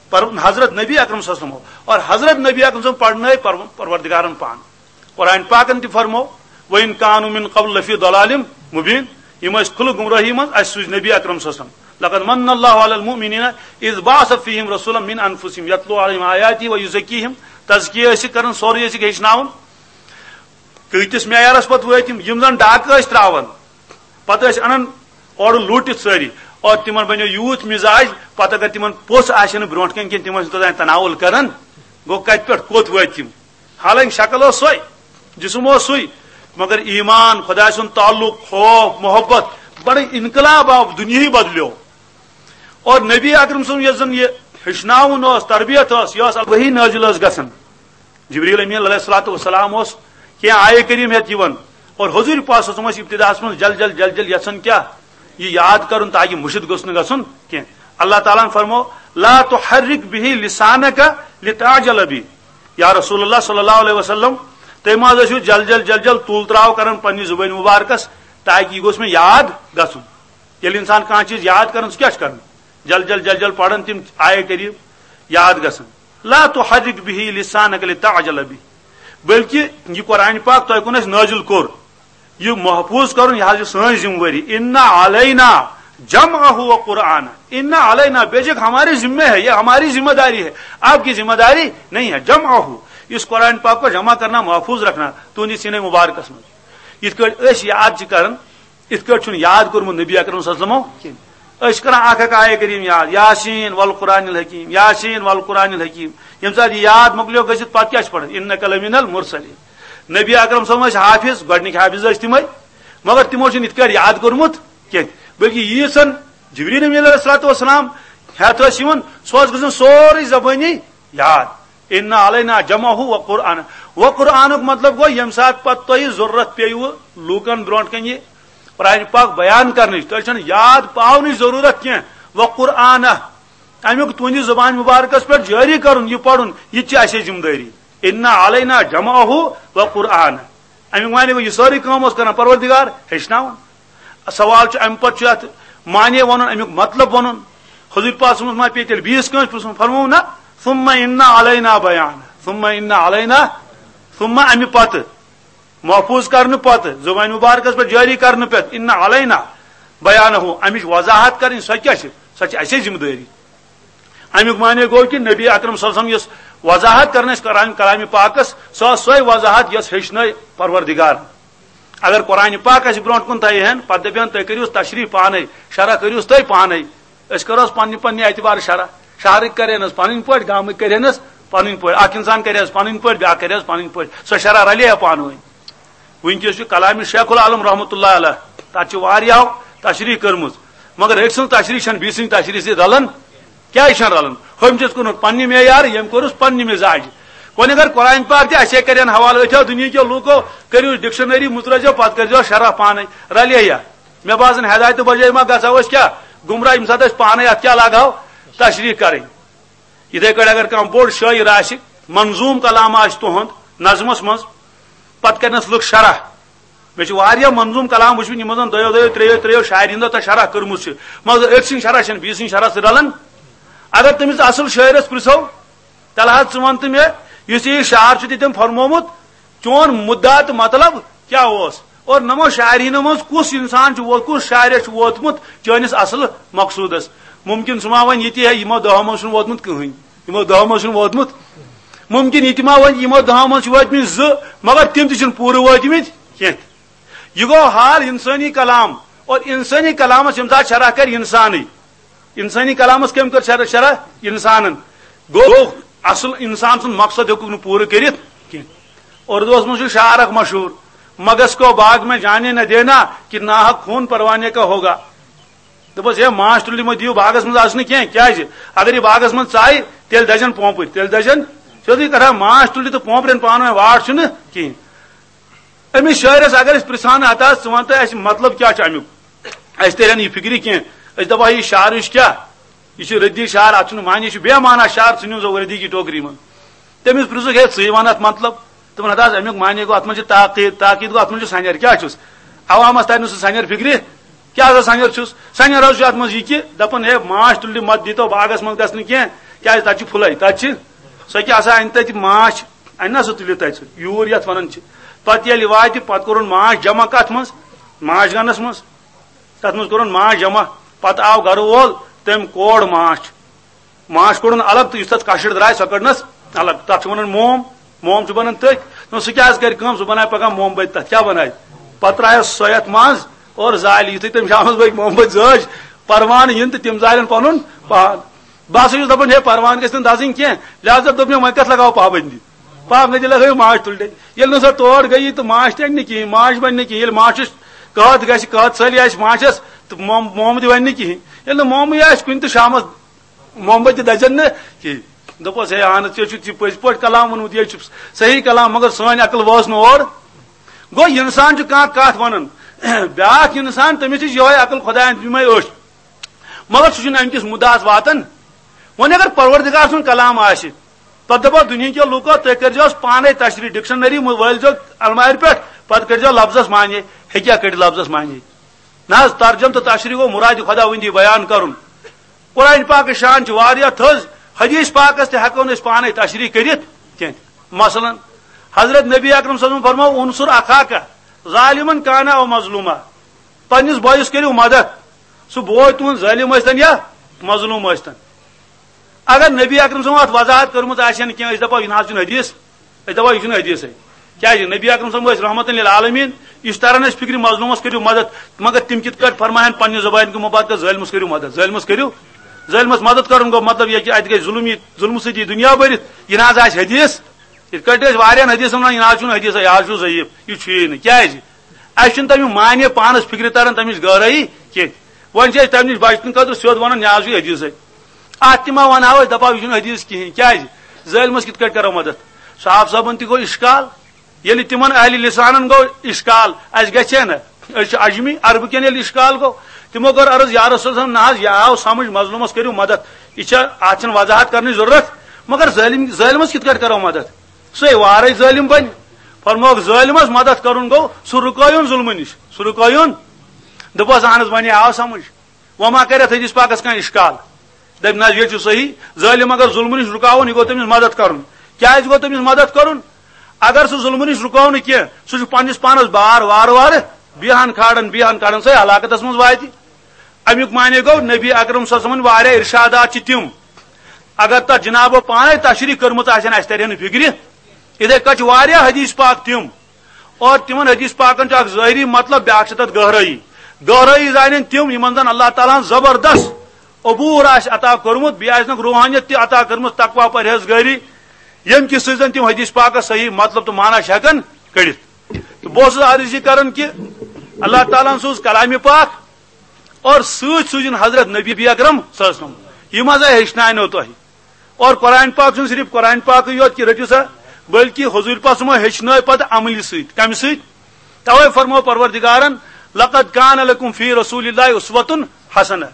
پر-، حضرت نبی اکرم صلی اللہ علیہ وسلم۔ اور حضرت نبی اکرم صلی اللہ علیہ وسلم پرنٲے پر-، پروردگارن پانہٕ۔ قرآن پاکن تہِ فرموو، "وَإِن كَانُوا مِن قَبْلُ لَفِي ضَلَالٍ مُّبِينٍ"، یِم ٲسۍ کھُلہٕ گمراہی منٛز، اَسہِ سوٗزۍ نبی اکرم صلی اللہ علیہ وسلم۔ "لَقَدْ مَنَّ اللَّهُ عَلَى الْمُؤْمِنِينَ إِذْ بَعَثَ فِيهِمْ رَسُولًا مِّنْ أَنفُسِهِمْ يَتْلُو عَلَيْهِمْ آيَاتِهِ وَيُزَكِّيهِمْ"، تزکیہ ٲسِکھ کران، سورُے ٲسِکھ ہیٚچھناوان۔ کۭتِس معیارس پتہٕ وٲتۍ یِم، یِم زن ڈاکہٕ ٲسۍ تراوان، پتہٕ ٲسۍ انان اورٕ لوٗٹِتھ سٲری، اور تِمن بنیو یوٗت مِزاج، پتہٕ اگر تِمن پوٚژھ آسہِ نہٕ برونٛٹھ کنہِ کینٛہہ، تِم ٲسۍ نہٕ توٚتام تناول کران۔ گوٚو، کتہِ پٮ۪ٹھ کوٚت وٲتۍ تِم؟ حالانکہ شکل ٲس سۄے، جسم اوس سُے، مگر ایمان، خدایہِ سُنٛد تعلق، خوف، محبت، بڑٕ انقلاب آو، دُنیاہٕے بدلیو۔ اور نبی اکرم سُنٛد یۄس زن یہِ ہیٚچھناوُن اوس، تربیت ٲس، یہِ ٲس وحی نٲزِل ٲس گژھان۔ جبریل امین علیہ الصلوۃ والسلام اوس کینٛہہ آیہِ کریم ہیتھ یِوان، اور حضور پاک صلی اللہ علیہ وسلم ٲسۍ ابتداہس منٛز جل جل جل جل یژھان کیٛاہ؟ یہِ یاد کرُن تاکہ مُشِتھ گوٚژھ نہٕ گژھُن کینٛہہ۔ اللہ تعالیٰ ہن فرمو، "لا تحرک بہ لسانک لتعجل بہ"۔ یا رسول اللہ صلی اللہ علیہ وسلم، تُہۍ ما حظ ٲسِو جل جل جل جل تُل تراو کران پننہِ زبٲنۍ مبارکس تاکہ یہِ گوٚژھ مےٚ یاد گژھُن؟ ییٚلہِ انسان کانٛہہ چیٖز یاد کران، سُہ کیٛاہ چھُ کران؟ جل جل جل جل پران تِم آیہِ کریم یاد گژھان۔ "لا تحرک بہ لسانک لتعجل بہ"، بلکہ یہِ قرآن پاک تۄہہِ کُن اَسہِ نٲزِل کوٚر، یہِ محفوظ کرُن، یہِ حظ چھِ سٲنۍ ذمہ وٲری۔ "ان علینا جمعہ و قرآن"، "ان علینا"، بے شک ہماری ذمہ ہے، یہ ہماری ذمہ داری ہے، آپ کی ذمہ داری نہیں ہے۔ "جمعہ"، اس قرآن پاک کو جمع کرنا، محفوظ رکھنا تُہنٛدِ سینے مبارکس منٛز۔ یِتھ کٲٹھۍ أسۍ یاد چھِ کران، یِتھ کٲٹھۍ چھُنہٕ یاد کوٚرمُت نبی اکرم صلی اللہ علیہ وسلمو کینٛہہ۔ أسۍ چھِ کران اکھ اکھ آیہِ کریم یاد، یاسین والقرآن الحکیم، یاسین والقرآن الحکیم۔ ییٚمہِ ساتہٕ یہِ یاد مۄکلیو گٔژھِتھ، پتہٕ کیٛاہ چھِ پران؟ "انک لمن المرسلین"۔ نبی اکرم صلی اللہ علیہ وسلم ٲسۍ حافظ، گۄڈٕنِکۍ حافظ ٲسۍ تِمے، مگر تِمو چھُنہٕ یِتھ کٲٹھۍ یاد کوٚرمُت کینٛہہ، بلکہِ ییٖژ ہن جبریل امین علیہ الصلوۃ والسلام ہٮ۪تھ ٲسۍ یِوان، سُہ اوس گژھان سورُے زبٲنی یاد۔ "ان علینا جمعہ و قرآن"۔ و قرآنُک مطلب گوٚو، ییٚمہِ ساتہٕ پتہٕ تۄہہِ ضروٗرت پیٚیوٕ لوٗکن برونٛٹھ کنہِ یہِ قرآن پاک بیان کرنٕچ، تۄہہِ چھَنہٕ یاد پاونٕچ ضروٗرت کینٛہہ۔ و قرآن، امیُک تُہنٛدِ زبانہِ مبارکس پٮ۪ٹھ جٲری کرُن، یہِ پرُن، یہِ تہِ چھِ اَسے ذمہٕ دٲری۔ "ان علینا جمعہ و قرآن"۔ امیُک معنی گوٚو، یہِ سٲرٕے کٲم اوس کران پروردگار، ہیٚچھناوان۔ سوال چھُ، اَمہِ پتہٕ چھُ اَتھ معنی وَنُن، اَمیُک مطلب وَنُن۔ حضور پاک صلی اللہ علیہ وسلم ما پیٚیہِ تیٚلہِ بیٚیِس کٲنٛسہِ پرٛژھُن؟ فرموو نہ، ثم ان علینا بیان، ثم ان علینا، ثم، اَمہِ پتہٕ، محفوظ کرنہٕ پتہٕ، زبانہِ مبارکس پٮ۪ٹھ جٲری کرنہٕ پتہٕ، ان علینا بیانہ، اَمِچ وضاحت کرٕنۍ، سۄ کیٛاہ چھِ؟ سۄ چھِ اَسے ذمہٕ دٲری۔ اَمیُک معنی گوٚو کہِ نبی اکرم صلی اللہ علیہ وسلم یۄس وضاحت کران ٲسۍ قرآن کلامِ پاکس، سۄ ٲس سۄے وضاحت یۄس ہیٚچھنٲے پروردگار۔ اگر قرآن پاک اَسہِ برونٛٹھ کُن تھایہِ ہن، پتہٕ دَپہِ ہن، "تُہۍ کٔرِو تشریح پانے، شرح کٔرِوس تُہۍ پانے، أسۍ کرو پننہِ پننہِ اعتبار شرح۔" شہرٕکۍ کرن حظ پنٕنۍ پٲٹھۍ، گامٕکۍ کرن حظ پنٕنۍ پٲٹھۍ، اکھ انسان کرِ حظ پنٕنۍ پٲٹھۍ، بیٛاکھ کرِ حظ پنٕنۍ پٲٹھۍ، سۄ شرح رلے ہا پانہٕ ؤنۍ۔ وٕنکیٚس چھُ کلامِ شیخ العالم رحمتہ اللہ علیہ، تتھ چھِ واریاہو تشریح کٔرمٕژ، مگر أکۍ سٕنٛز تشریح چھنہٕ بیٚیہِ سٕنٛدِ تشریح سۭتۍ رلان۔ کیازِ چھنہٕ رلان؟ ہُمۍ چھُس کوٚرمُت پننہِ معیار، ییٚمۍ کوٚرُس پننہِ مزاج۔ وۄنۍ اگر قرآن پاک تہِ اَسے کرن حوالہٕ، أتھیو دُنیہکیو لوٗکو، کٔرِو ڈکشنری، مُترٲزیو، پتہٕ کٔرزیو شرح پانے، رلے یا؟ مےٚ باسان ہدایتہٕ بجٲے ما گژھو أسۍ کیٛاہ گمراہ، ییٚمہِ ساتہٕ أسۍ پانے اتھ کیٛاہ لاگہو تشریح کرٕنۍ۔ یِتھے کٲٹھۍ اگر کانٛہہ بوٚڑ شٲعر آسہِ، منظوٗم کلام آسہِ تُہُنٛد نظمس منٛز، پتہٕ کرنس لُکھ شرح۔ مےٚ چھِ واریاہ منظوٗم کلام وٕچھمٕتۍ، یِمو زن دۄیو دۄیو، ترٛیٚیو ترٛیٚیو شاعرِ ہُنٛد تتھ شرح کٔرمٕژ چھِ، مگر أکۍ سٕنٛز شرح چھنہٕ بیٚیہِ سٕنٛز شرح سۭتۍ رلان۔ اگر تٔمِس اصل شٲعرس پرژھو، تیٚلہِ حظ ژٕ وَن تہٕ مےٚ، یُس یہِ شعر چھُ تٔمۍ فرمومُت، چون مُدعا تہٕ مطلب کیٛاہ اوس؟ اور نمو شاعرینو منٛز کُس انسان چھُ ووت-، کُس شاعر چھُ ووتمُت چٲنِس اصل مقصوٗدس؟ مُمکِن سُہ ما وَنہِ یہِ تہِ، ہے، یِمو دۄہو منٛز چھُنہٕ ووتمُت کٕہٕنۍ، یِمو دۄہو منٛز چھُنہٕ ووتمُت۔ مُمکِن یہِ تہِ ما وَنہِ، یِمو دۄہو منٛز چھِ وٲتمٕتۍ زٕ، مگر تِم تہِ چھِنہٕ پوٗرٕ وٲتمٕتۍ کینٛہہ۔ یہِ گوٚو حال انسٲنی کلام، اور انسٲنی کلامس ییٚمہِ ساتہٕ شرح کرِ انسانٕے، انسٲنی کلامس کٔمۍ کٔر شرح؟ شرح انسانن۔ گوٚو، اصل انسان سُنٛد مقصد ہیوٚکُکھ نہٕ پوٗرٕ کٔرِتھ کینٛہہ۔ اردوس منٛز چھُ شعر اکھ مشہوٗر، "مگس کو باغ میں جانے نہ دینا، کہ ناحق خون پروانے کا ہوگا۔" دوٚپُس، "ہے، ماچھ تُلِتھ مہ دِیِو باغس منٛز اژنہٕ کینٛہہ، کیٛازِ اگر یہِ باغس منٛز ژایہِ، تیٚلہِ دَزن پونٛپٕرۍ، تیٚلہِ دَزن۔" سیوٚدُے کتھا، ماچھ تُلِتھ تہٕ پونٛپرٮ۪ن پانہٕ ؤنۍ واٹھ چھُنہٕ کِہیٖنۍ۔ أمِس شٲعرس اگر أسۍ پرژھان، "ہتا، ژٕ وَن تہٕ اَسہِ مطلب کیٛاہ چھُ اَمیُک؟" اَسہِ ترِ ہا نہٕ یہِ فِکرِ کینٛہہ۔ أسۍ دَپو، "یہِ شعر یُس کیٛاہ؟ یہِ چھُ ردی شعر، اَتھ چھُنہٕ معنی، یہِ چھُ بے معنی شعر، ژھٕنِو سا ردی کی ٹوکری منٛز۔" تٔمِس پرژھُکھ، "ہے، ژٕے وَن اَتھ مطلب؟" تِمن ہتا، اَمیُک معنی گوٚو، اَتھ منٛز چھُ تاکید، تاکید گوٚو، اَتھ منٛز چھُ سَنٮ۪ر۔ کیٛاہ چھُس؟ عوامس ترِ نہٕ سُہ سَنٮ۪ر فِکرِ۔ کیٛاہ سا سَنٮ۪ر چھُس؟ سَنٮ۪ر حظ چھُ اَتھ منٛز یہِ کہِ دَپان، "ہے، ماچھ تُلِتھ مَتہٕ دیٖتو باغس منٛز گژھنہٕ کینٛہہ، کیٛازِ تَتہِ چھُ پھُلے، تَتہِ چھِ، سۄ کیٛاہ سا اَنہِ تَتہِ ماچھ، اَنہِ نا سُہ تُلِتھ تَتہِ سُہ یوٗر یَتھ وَنان چھِ۔" پَتہٕ ییٚلہِ واتہِ، پَتہٕ کوٚرُن ماچھ جمع کَتھ منٛز؟ ماچھ گَنَس منٛز۔ تَتھ منٛز کوٚرُن ماچھ جمع۔ پَتہٕ آو گَرٕ وول، تٔمۍ کوڑ ماچھ۔ ماچھ کوٚڑُن الگ تہٕ یُس تَتھ کَشٕر درٛاے، سۄ کٔڑنَس الگ۔ تَتھ چھِ وَنان موم۔ موم چھُ بَنان تٔتھۍ۔ نہ، سُہ کیٛاہ حظ کَرِ کٲم؟ سُہ بَنایہِ پَگاہ موم بٔتۍ تَتھ۔ کیٛاہ بَنایہِ؟ پَتہٕ ترٛایَس سۄ یَتھ منٛز اور زالہِ۔ یُتھُے تٔمۍ شامَس بٲگۍ موم بٔتۍ زٲج، پَروانہٕ یِن تہٕ تِم زالن پَنُن پان۔ بہٕ ہسا چھُس دَپان، ہے، پَروانہٕ گژھِ نہٕ دَزٕنۍ کینٛہہ، لہذا دوٚپ مےٚ، وۄنۍ کَتھ لَگاوو پابندی؟ پابندی لَگٲیِو ماچھ تُلنہِ۔ ییٚلہِ نہٕ سۄ تور گٔیی تہٕ ماچھ تہِ اَنہِ نہٕ کِہیٖنۍ، ماچھ بَنہِ نہٕ کِہیٖنۍ، ییٚلہِ ماچھَس قحط گژھِ، قحط ژَلہِ آسہِ ماچھَس، تہٕ موم، موم تہِ بَنہِ نہٕ کِہیٖنۍ۔ ییٚلہِ نہٕ مومٕے آسہِ کُنہِ تہٕ شامَس موم بٔتۍ تہِ دَزن نہٕ کِہیٖنۍ۔ دوٚپُس، ہے، اہن حظ، ژےٚ چھُتھ یہِ پٔزۍ پٲٹھۍ کلام ووٚنمُت، یے چھُ صحیح کلام، مگر سٲنۍ عقل وٲژ نہٕ اور۔ گوٚو، اِنسان چھُ کانٛہہ کَتھ وَنان، بیٛاکھ اِنسان، تٔمِس چھِ یِہوٚے عقل خۄدایَن دِژمٕژ أچھ، مگر سُہ چھُنہٕ اَمہِ کِس مُدعاہَس واتان۔ وۄنۍ اگر پروردگار سُنٛد کلام آسہِ، پتہٕ دَپو دُنہِکیو لوٗکو، تُہۍ کٔرۍزیوس پانَے تشریح، ڈکشنری وٲلۍزیو المارِ پٮ۪ٹھ، پتہٕ کٔرۍزیو لفظس معنی۔ ہیٚکیٛاہ کٔڑِتھ لفظس معنی؟ نہ حظ، ترجم تہٕ تشریح گوٚو مرادِ خۄداوندی بیان کرُن۔ قرآن پاکٕچ شان چھِ واریاہ تھٔز، حدیث پاکس تہِ ہٮ۪کو نہٕ أسۍ پانَے تشریح کٔرِتھ کینٛہہ۔ مثلاً، حضرت نبی اکرم صلی اللہ علیہ وسلم فرموو، "انصر اخاک ظالمن کان او مظلوما"، پننِس بٲیِس کٔرِو مدد، سُہ بوے تُہُنٛد ظٲلِم ٲسۍتن یا مظلوم ٲسۍتن۔ اگر نبی اکرم صٲبن اتھ وضاحت کٔرمٕژ آسہِ ہا نہٕ کینٛہہ، أسۍ دپو، یہِ نہ حظ چھُنہٕ حدیث، أسۍ دپو، یہِ چھُنہٕ حدیثے۔ کیازِ؟ نبی اکرم صٲب ٲسۍ رحمتن للعالمین، یہِ چھُ تران اَسہِ فکرِ مظلومس کٔرِو مدد، مگر تِم کِتھ کٲٹھۍ فرماین پننہِ زبانہِ کہِ مبارکس، ظٲلمس کٔرِو مدد، ظٲلمس کٔرِو، ظٲلمس مدد کرُن گوٚو مطلب یہِ کہِ اتہِ گژھِ ظلم، یہِ ظلمہٕ سۭتۍ یی دُنیا بٔرِتھ، یہِ نہ حظ آسہِ حدیث۔ یِتھ کٲٹھۍ أسۍ واریاہن حدیثن ونان، یہِ نہ حظ چھُنہٕ حدیثے، یہِ حظ چھُ ضعیف، یہِ چھُیی نہٕ۔ کیازِ؟ اَسہِ چھُنہٕ تَمیُک معنی پانَس فِکرِ تَران، تَمِچ گہرٲیی کینٛہہ۔ وۄنۍ چھِ أسۍ تَمہِ نِش بچنہٕ خٲطرٕ سیوٚد وَنان، یہِ حظ چھُ حدیثے۔ اَتھ تہِ ما وَنہاو أسۍ، دَپہاو، یہِ چھُنہٕ حدیث کِہیٖنۍ۔ کیٛازِ؟ ظٲلمَس کِتھ کٲٹھۍ کَرو مَدَد؟ صاحب صٲبَن تہِ گوٚو اِشکال، ییٚلہِ تِمَن اہلِ لِسانَن گوٚو اِشکال، اَسہِ گژھِ ہے نہ؟ أسۍ چھِ عجمی، عربہٕ کٮ۪ن ییٚلہِ اِشکال گوٚو، تِمو کٔر عرض، یا رسول صٲب، نہ حظ، یہِ آو سَمٕجھ مظلوٗمَس کٔرِو مَدَد۔ یہِ چھا، اَتھ چھَنہٕ وضاحت کَرنٕچ ضروٗرت، مگر ظٲلِم، ظٲلمَس کِتھ کٲٹھۍ کَرو مَدَد؟ سُے وارے ظٲلِم بنہِ۔ فرمووُکھ، ظٲلمس مدد کرُن گوٚو سُہ رُکٲیُن ظُلمہٕ نِش، سُہ رُکٲیُن۔ دوٚپہَس، اہن حظ، وۄنۍ آو سمجھ۔ وۄنۍ ما کرِ اتھ حدیث پاکس کانٛہہ اشکال؟ دٔپۍ، نہ حظ، یہِ چھُ صحیح۔ ظٲلم اگر ظُلمہٕ نِش رُکاوُن، یہِ گوٚو تٔمِس مدد کرُن۔ کیازِ گوٚو تٔمِس مدد کرُن؟ اگر سُہ ظُلمہٕ نِش رُکاو نہٕ کینٛہہ، سُہ چھُ پننِس پانس بار وارٕ وارٕ بیہان کھالان، بیہان کھالان، سُہ ہلاکتس منٛز واتہِ۔ امیُک معنی گوٚو، نبی اکرم صلی اللہ علیہ وسلمن واریاہ ارشادات چھِ تِم، اگر تتھ جنابو پانے تشریح کٔرمٕژ آسن، اسہِ ترِ ہے نہٕ فکرِ۔ یِتھے کٔنۍ چھِ واریاہ حدیث پاک تِم، اور تِمن حدیث پاکن چھُ اکھ ظٲہری مطلب، بیاکھ چھِ تتھ گہرٲیی۔ گہرٲیی زانن تِم، یِمن زن اللہ تعالیٰ ہن زبردست عبور آسہِ عطا کوٚرمُت، بیٚیہِ آسنکھ روحانیت تہِ عطا کٔرمٕژ، تقویٰ، پرہیزگٲری، ییٚمہِ کہِ سۭتۍ زن تِم حدیث پاکس صحیح مطلب تہٕ معنی چھِ ہٮ۪کان کٔڑِتھ۔ تہٕ بہٕ اوسُس عرض یہِ کران کہِ اللہ تعالیٰ ہن سوٗز کلامِ پاک اور سۭتۍ سوٗزِن حضرت نبی اکرم صلی اللہ علیہ وسلم۔ یِم ہسا ہیٚچھناونو تۄہہِ۔ اور قرآن پاک چھُنہٕ صرف قرآن پاکٕے یوت کہِ رٔٹِو سا، بلکہِ حضوٗر پاک صٲبن ہیٚچھنٲے پتہٕ عملی سۭتۍ۔ کمہِ سۭتۍ؟ توے فرموو پروردگارن، "لقد کان لکم فی رسول اللہ اسوۃ حسنہ۔"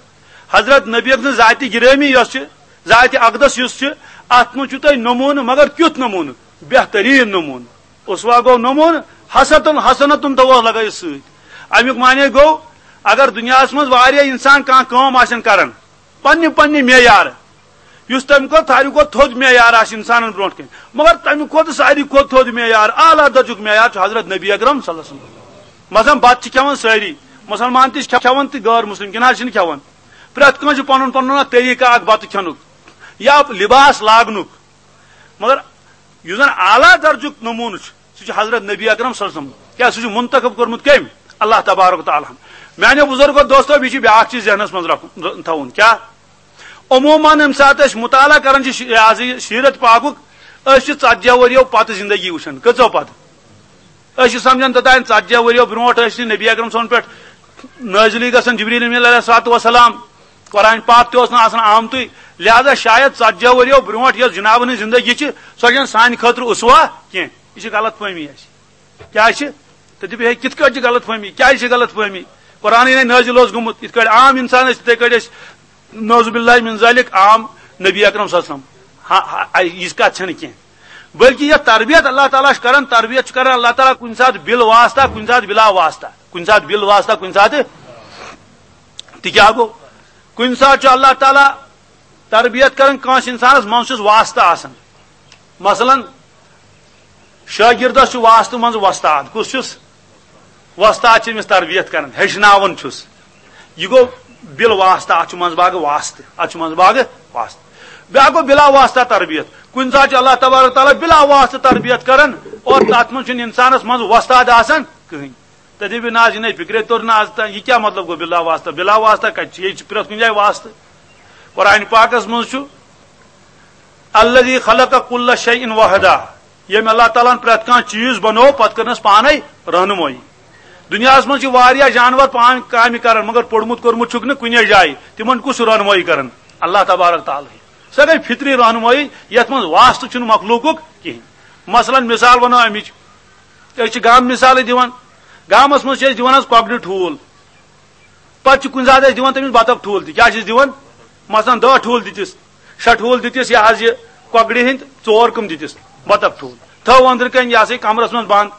حضرت نبی اکرم سٕنٛز ذاتِ گرامی یۄس چھِ، ذاتِ اقدس یُس چھِ، اتھ منٛز چھُ تۄہہِ نموٗنہٕ، مگر کیُتھ نموٗنہٕ؟ بہتریٖن نموٗنہٕ۔ اسوہ گوٚو نموٗنہٕ، حسنتن، حسنتن تھووس لگٲیِتھ سۭتۍ۔ امیُک معنی گوٚو، اگر دُنیاہس منٛز واریاہ انسان کانٛہہ کٲم آسن کران، پننہِ پننہِ معیار، یُس تمہِ کھۄتہٕ ساروی کھۄتہٕ تھوٚد معیار آسہِ انسانن برونٛٹھ کنہِ، مگر تمہِ کھۄتہٕ ساروی کھۄتہٕ تھوٚد معیار، اعلیٰ درجُک معیار چھُ حضرت نبی اکرم صلی اللہ علیہ وسلم۔ مثلاً بتہٕ چھِ کھٮ۪وان سٲری، مسلمان تہِ چھِ کھٮ۪وان تہٕ غٲر مسلم کِنہٕ حظ چھِنہٕ کھٮ۪وان؟ پرٛٮ۪تھ کٲنٛسہِ چھُ پنُن پنُن اکھ طریٖقہٕ اکھ بتہٕ کھٮ۪نُک یا لباس لاگنُک۔ مگر یُس زن اعلیٰ درجُک نموٗنہٕ چھُ، سُہ چھُ حضرت نبی اکرم صلی اللہ علیہ وسلم۔ کیٛاہ سُہ چھُ منتخب کوٚرمُت کٔمۍ؟ اللہ تبارک و تعالیٰ ہن۔ میانیو بُزرگو دوستو، بیٚیہِ چھُ بیٛاکھ چیٖز ذہنس منٛز رکھُن، تھاوُن۔ کیٛاہ؟ عموٗماً ییٚمہِ ساتہٕ أسۍ مُطالعہ کران چھِ شی-، یہِ حظ یہِ سیٖرت پاکُک، أسۍ چھِ ژتجی ؤرِیو پتہٕ زندگی وٕچھان۔ کٔژو پتہٕ؟ أسۍ چھِ سمجھان توٚتام ژتجی ؤرِیو برونٛٹھ ٲسۍ نہٕ نبی اکرم صٲبن پٮ۪ٹھ نٲزِلٕے گژھان جبریل امیٖن علیہ الصلوۃ والسلام، قرآن پاک تہِ اوس نہٕ آسان آمتُے، لہذا شاید ژتجی ؤرِیو برونٛٹھ یۄس جنابن ہٕنٛز زندگی چھِ، سۄ چھَنہٕ سانہِ خٲطرٕ اسوہ کینٛہہ۔ یہِ چھِ غلط فہمی اَسہِ۔ کیٛازِ چھِ؟ تہٕ دِپہٕ ہے، کِتھ کٲٹھۍ چھِ غلط فہمی؟ کیٛازِ چھِ غلط فہمی؟ قرآنٕے نے نٲزِل اوس گوٚمُت، یِتھ کٲٹھۍ عام انسان ٲسۍ، تِتھے کٲٹھۍ ٲسۍ، نعوذ باللہ من ذالک، عام نبی اکرم صلی اللہ علیہ وسلم۔ ہا، ہا، یِژھ کتھ چھنہٕ کینٛہہ۔ بلکہ یۄس تربیت اللہ تعالیٰ چھُ کران، تربیت چھُ کران اللہ تعالیٰ کُنہِ ساتہٕ بِل واسطہ، کُنہِ ساتہٕ بِلا واسطہ، کُنہِ ساتہٕ بِل واسطہ، کُنہِ ساتہٕ۔ تہِ کیٛاہ گوٚو؟ کُنہِ ساتہٕ چھُ اللہ تعالیٰ تربیت کران کٲنٛسہِ انسانس، منٛز چھُس واسطہٕ آسان۔ مثلاً، شٲگِردس چھُ واسطہٕ منٛز وۄستاد۔ کُس چھُس؟ وۄستاد چھُ أمِس تربیت کران، ہیٚچھناوان چھُس۔ یہِ گوٚو بِل واسطہٕ، اتھ چھُ منٛزٕ باگہٕ واسطہٕ، اتھ چھُ منٛزٕ باگہٕ واسطہٕ۔ بیٛاکھ گوٚو بِلا واسطہ تربیت۔ کُنہِ ساتہٕ چھُ اللہ تبارک تعالیٰ بِلا واسطہٕ تربیت کران اور تتھ منٛز چھُنہٕ انسانس منٛز وۄستاد آسان کٕہٕنۍ۔ تہٕ دٔپِو، نہ حظ، یہِ نے فِکرے توٚر نہٕ از تام۔ یہِ کیٛاہ مطلب گوٚو بِلا واسطہ؟ بِلا واسطہ کتہِ چھُ؟ ییٚتہِ چھُ پرٛٮ۪تھ کُنہِ جایہِ واسطہٕ۔ قرآن پاکس منٛز چھُ، "الذی خلق کل شیء وحدہ"، ییٚمۍ اللہ تعالیٰ ہن پرٛٮ۪تھ کانٛہہ چیٖز بنوو، پتہٕ کٔرنس پانے رہنمٲیی۔ دُنیاہس منٛز چھِ واریاہ جانور پانہٕ کامہِ کران، مگر پوٚرمُت کوٚرمُت چھُکھ نہٕ کُنے جایہِ۔ تِمن کُس چھُ رہنمٲیی کران؟ اللہ تبارک تعالیٰ۔ سۄ گٔے فطری رہنمٲیی، یتھ منٛز واسطہٕ چھُنہٕ مخلوٗقُک کِہینۍ۔ مثلاً، مثال ونو امِچ، أسۍ چھِ گامہٕ مثالٕے دِوان۔ گامس منٛز چھِ أسۍ دِوان حظ کۄکرِ ٹھوٗل۔ پتہٕ چھِ کُنہِ ساتہٕ أسۍ دِوان تٔمِس بطخ ٹھوٗل تہِ۔ کیٛاہ چھِ أسۍ دِوان؟ مثلاً، دَہ ٹھوٗل دِتِس، شےٚ ٹھوٗل دِتِس، یہِ حظ یہِ کۄکرِ ہٕنٛدۍ ژور کٕم دِتِس، بطخ ٹھوٗل۔ تھٲو أنٛدرٕ کَنۍ، یہِ ہسا یہِ کمرس منٛز بنٛد۔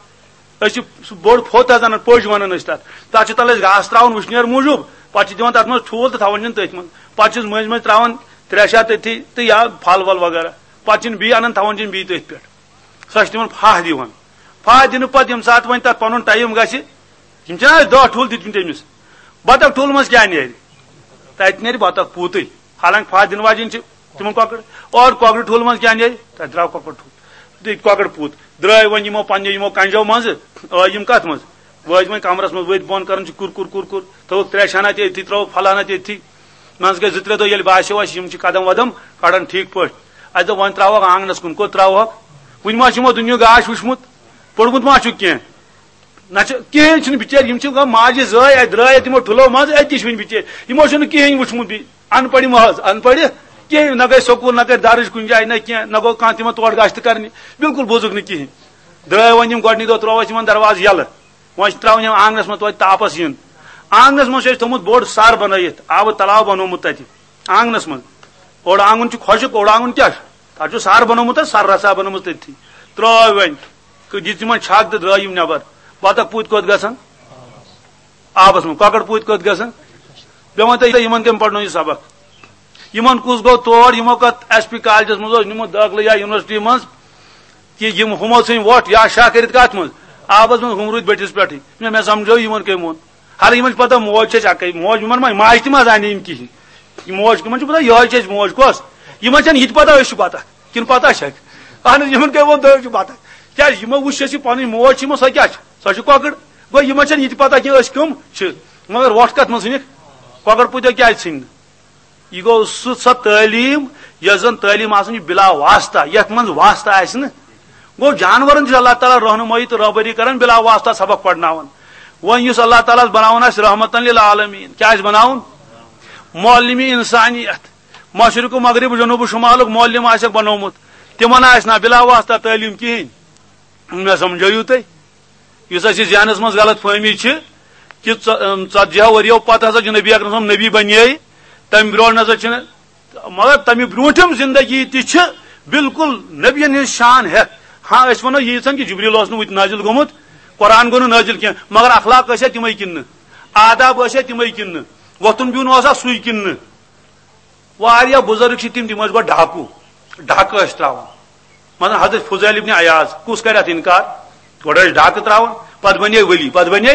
أسۍ چھِ سُہ بوٚڑ پھوٚت حظ اَنان، پٔج وَنان أسۍ تَتھ۔ تَتھ چھِ تَلہٕ أسۍ گاسہٕ ترٛاوان وٕشنیر موٗجوٗب، پتہٕ چھِ دِوان تَتھ منٛز ٹھوٗل تہٕ تھاوان چھِن تٔتھۍ منٛز۔ پتہٕ چھِس مٔنٛزۍ مٔنٛزۍ ترٛاوان ترٛےٚ شےٚ تٔتھی تہٕ یا پھل ول وغیرہ۔ پتہٕ چھِن بیٚیہِ اَنان، تھاوان چھِن بیٚیہِ تٔتھۍ پٮ۪ٹھ۔ سۄ چھِ تِمن پھاہ دِوان۔ پھاہ دِنہٕ پتہٕ ییٚمہِ ساتہٕ وۄنۍ تتھ پنُن ٹایم گژھِ، یِم چھِنہ اَسہِ دَہ ٹھوٗل دِتمٕتۍ أمِس، بطخ ٹھوٗل منٛز کیٛاہ نیرِ؟ تتہِ نیرِ بطخ پوٗتٕے۔ حالانکہِ پھاہ دِنہٕ واجیٚنۍ چھِ تِمن کۄکر، اور کۄکرِ ٹھوٗل منٛز کیٛاہ نیرِ؟ تتہِ درٛاو کۄکر ٹھوٗل۔ تہٕ کۄکر پوٗت درٛاے وۄنۍ یِمو پننہِ یِمو کنجو منٛزٕ، آے یِم کتھ منٛز؟ وٲتۍ وۄنۍ کمرس منٛز، ؤتھۍ بۄن کران چھِ کُر کُر کُر کُر، تھٲوٕکھ ترٛےٚ شانہ تہِ أتھی، ترٛٲوٕکھ پھلانہ تہِ أتھی۔ منٛزٕ گٔے زٕ ترٛےٚ دۄہ، ییٚلہِ باسیو اَسہِ یِم چھِ قدم ودم کڑان ٹھیٖک پٲٹھۍ، اَسہِ دوٚپ وۄنۍ ترٛاوہوکھ آنگنس کُن۔ کوٚت ترٛاوہوکھ؟ وُنہِ ما چھُ یِمو دُنیہُک گاش وُچھمُت؟ پوٚرمُت ما چھُکھ کینٛہہ؟ نہ چھُ کِہیٖنۍ، چھُنہٕ بِچٲرۍ، یِم چھِ گوٚو ماجہِ زٲے، اَتہِ درٛاے اَتہِ یِمو ٹھُلو منٛز، أتی چھِ وٕنہِ بِچٲرۍ۔ یِمو چھُنہٕ کِہیٖنۍ وٕچھمُت بیٚیہِ۔ ان پڑھ محض، ان پڑھ کِہیٖنۍ، نہ گٔے سکوٗل، نہ کٔرۍ درٕج کُنہِ جایہِ، نہ کینٛہہ، نہ گوٚو کانٛہہ تِمن تور گژھ تہِ کرنہِ، بالکل بوٗزُکھ نہٕ کِہیٖنۍ۔ درٛاے وۄنۍ یِم گۄڈٕنِکۍ دۄہ، ترٛوو اَسہِ یِمن دروازٕ ییٚلہٕ۔ وۄنۍ چھِ ترٛاوان یِم آنگنس منٛز توتہِ تاپس یِن۔ آنگنس منٛز چھُ اَسہِ تھوٚمُت بوٚڑ سر بنٲیِتھ، آبہٕ تلاو بنوومُت تَتہِ آنگنس منٛز۔ اوٚڑ آنگُن چھُ خۄشک، اوٚڑ آنگُن کیٛاہ چھُ؟ تَتھ چھُ سر بنوومُت حظ، سر رژھا بنٲومٕژ تٔتھی۔ ترٛٲو وۄنۍ، دِژ یِمن چھک تہٕ درٛاے یِم نٮ۪بر۔ بطخ پوٗتۍ کوٚت گژھن؟ آبس منٛز۔ کۄکر پوٗتۍ کوٚت گژھن؟ مےٚ ؤنۍ تو، یِمن کٔمۍ پرنو یہِ سبق؟ یِمن کُس گوٚو تور؟ یِمو کتھ ایس پی کالجس منٛز اوس نیوٗمُت دٲخلہٕ یا یونیورسٹی منٛز، کہِ یِم ہُمو ژھٕنۍ وۄٹھ یا شاہ کٔرِتھ کتھ منٛز؟ آبس منٛز۔ ہُم روٗدۍ بٔٹھِس پٮ۪ٹھٕے۔ مےٚ، مےٚ سمجھٲو یِمن کٔمۍ ووٚن۔ حالانکہِ یِمن چھِ پتہ موج چھِ اَسہِ اَکٕے، موج، یِمن ما، ماجہِ تہِ ما زانہِ یِم کِہیٖنۍ؟ یہِ موج، یِمن چھِ پتہ یِہوٚے چھِ اَسہِ موج کۄس۔ یِمن چھَنہٕ یہِ تہِ پتہ أسۍ چھِ پتہ کِنہٕ پتہ چھَکھ۔ اہن حظ، یِمن کٔمۍ ووٚن تُہۍ چھِو پتہ؟ کیٛازِ یِمو وٕچھ اَسہِ یہِ پنٕنۍ موج چھِ، یِمو سۄ کیٛاہ چھِ؟ سۄ چھِ کۄکٕر۔ گوٚو یِمن چھَنہٕ یہِ تہِ پتہ کینٛہہ أسۍ کٕم چھِ۔ مگر وۄٹھ کتھ منٛز ژھٕنِکھ؟ کۄکر پوٗتیو کیٛازِ ژھٕنۍ نہٕ؟ یہِ گوٚو سُہ، سۄ تعلیٖم یۄس زن تعلیٖم آسان چھِ بلا واسطہ، یتھ منٛز واسطہٕ آسہِ نہٕ۔ گوٚو جانورن تہِ چھُ اللہ تعالیٰ رہنمٲیی تہٕ رہبری کران، بلا واسطہ سبق پرناوان۔ وۄنۍ یُس اللہ تعالیٰ ہس بناوان آسہِ رحمتن للعالمین، کیٛاہ آسہِ بناوُن؟ معلم انسانیت۔ مشرق و مغرب، جنوب و شمالُک معلم آسٮ۪کھ بنومُت، تِمن آسہِ نہ بلا واسطہ تعلیٖم کِہیٖنۍ۔ مےٚ سمجھٲیِو تُہۍ؟ یُس اَسہِ ذہنس منٛز غلط فہمی چھِ کہِ ژ-، ژتجی ہو ؤرۍیو پتہٕ ہسا چھُ نبی اکرم صٲب نبی بنے، تمہِ برونٛٹھ نسا چھِنہٕ، مگر تمہِ برونٛٹھِم زندگی تہِ چھِ بالکل نبین ہٕنٛز شان ہٮ۪تھ۔ ہاں، أسۍ ونو ییٖژہن کہِ جبریل اوس نہٕ وُتہِ نازل گوٚمُت، قرآن گوٚو نہٕ نازل کینٛہہ، مگر اخلاق ٲسیا تِمے کِنہٕ نہٕ؟ آداب ٲسیا تِمے کِنہٕ نہٕ؟ وۄتھُن بِہُن اوسا سُے کِنہٕ نہٕ؟ واریاہ بُزرگ چھِ تِم، تِم ٲسۍ گۄڈٕ ڈاکوٗ، ڈاکہٕ ٲسۍ ترٛاوان۔ مثلاً حضرت فضیل ابن عیاض، کُس کرِ اتھ انکار؟ گۄڈٕ ٲسۍ ڈاکہٕ ترٛاوان، پتہٕ بنے ولی، پتہٕ بنے۔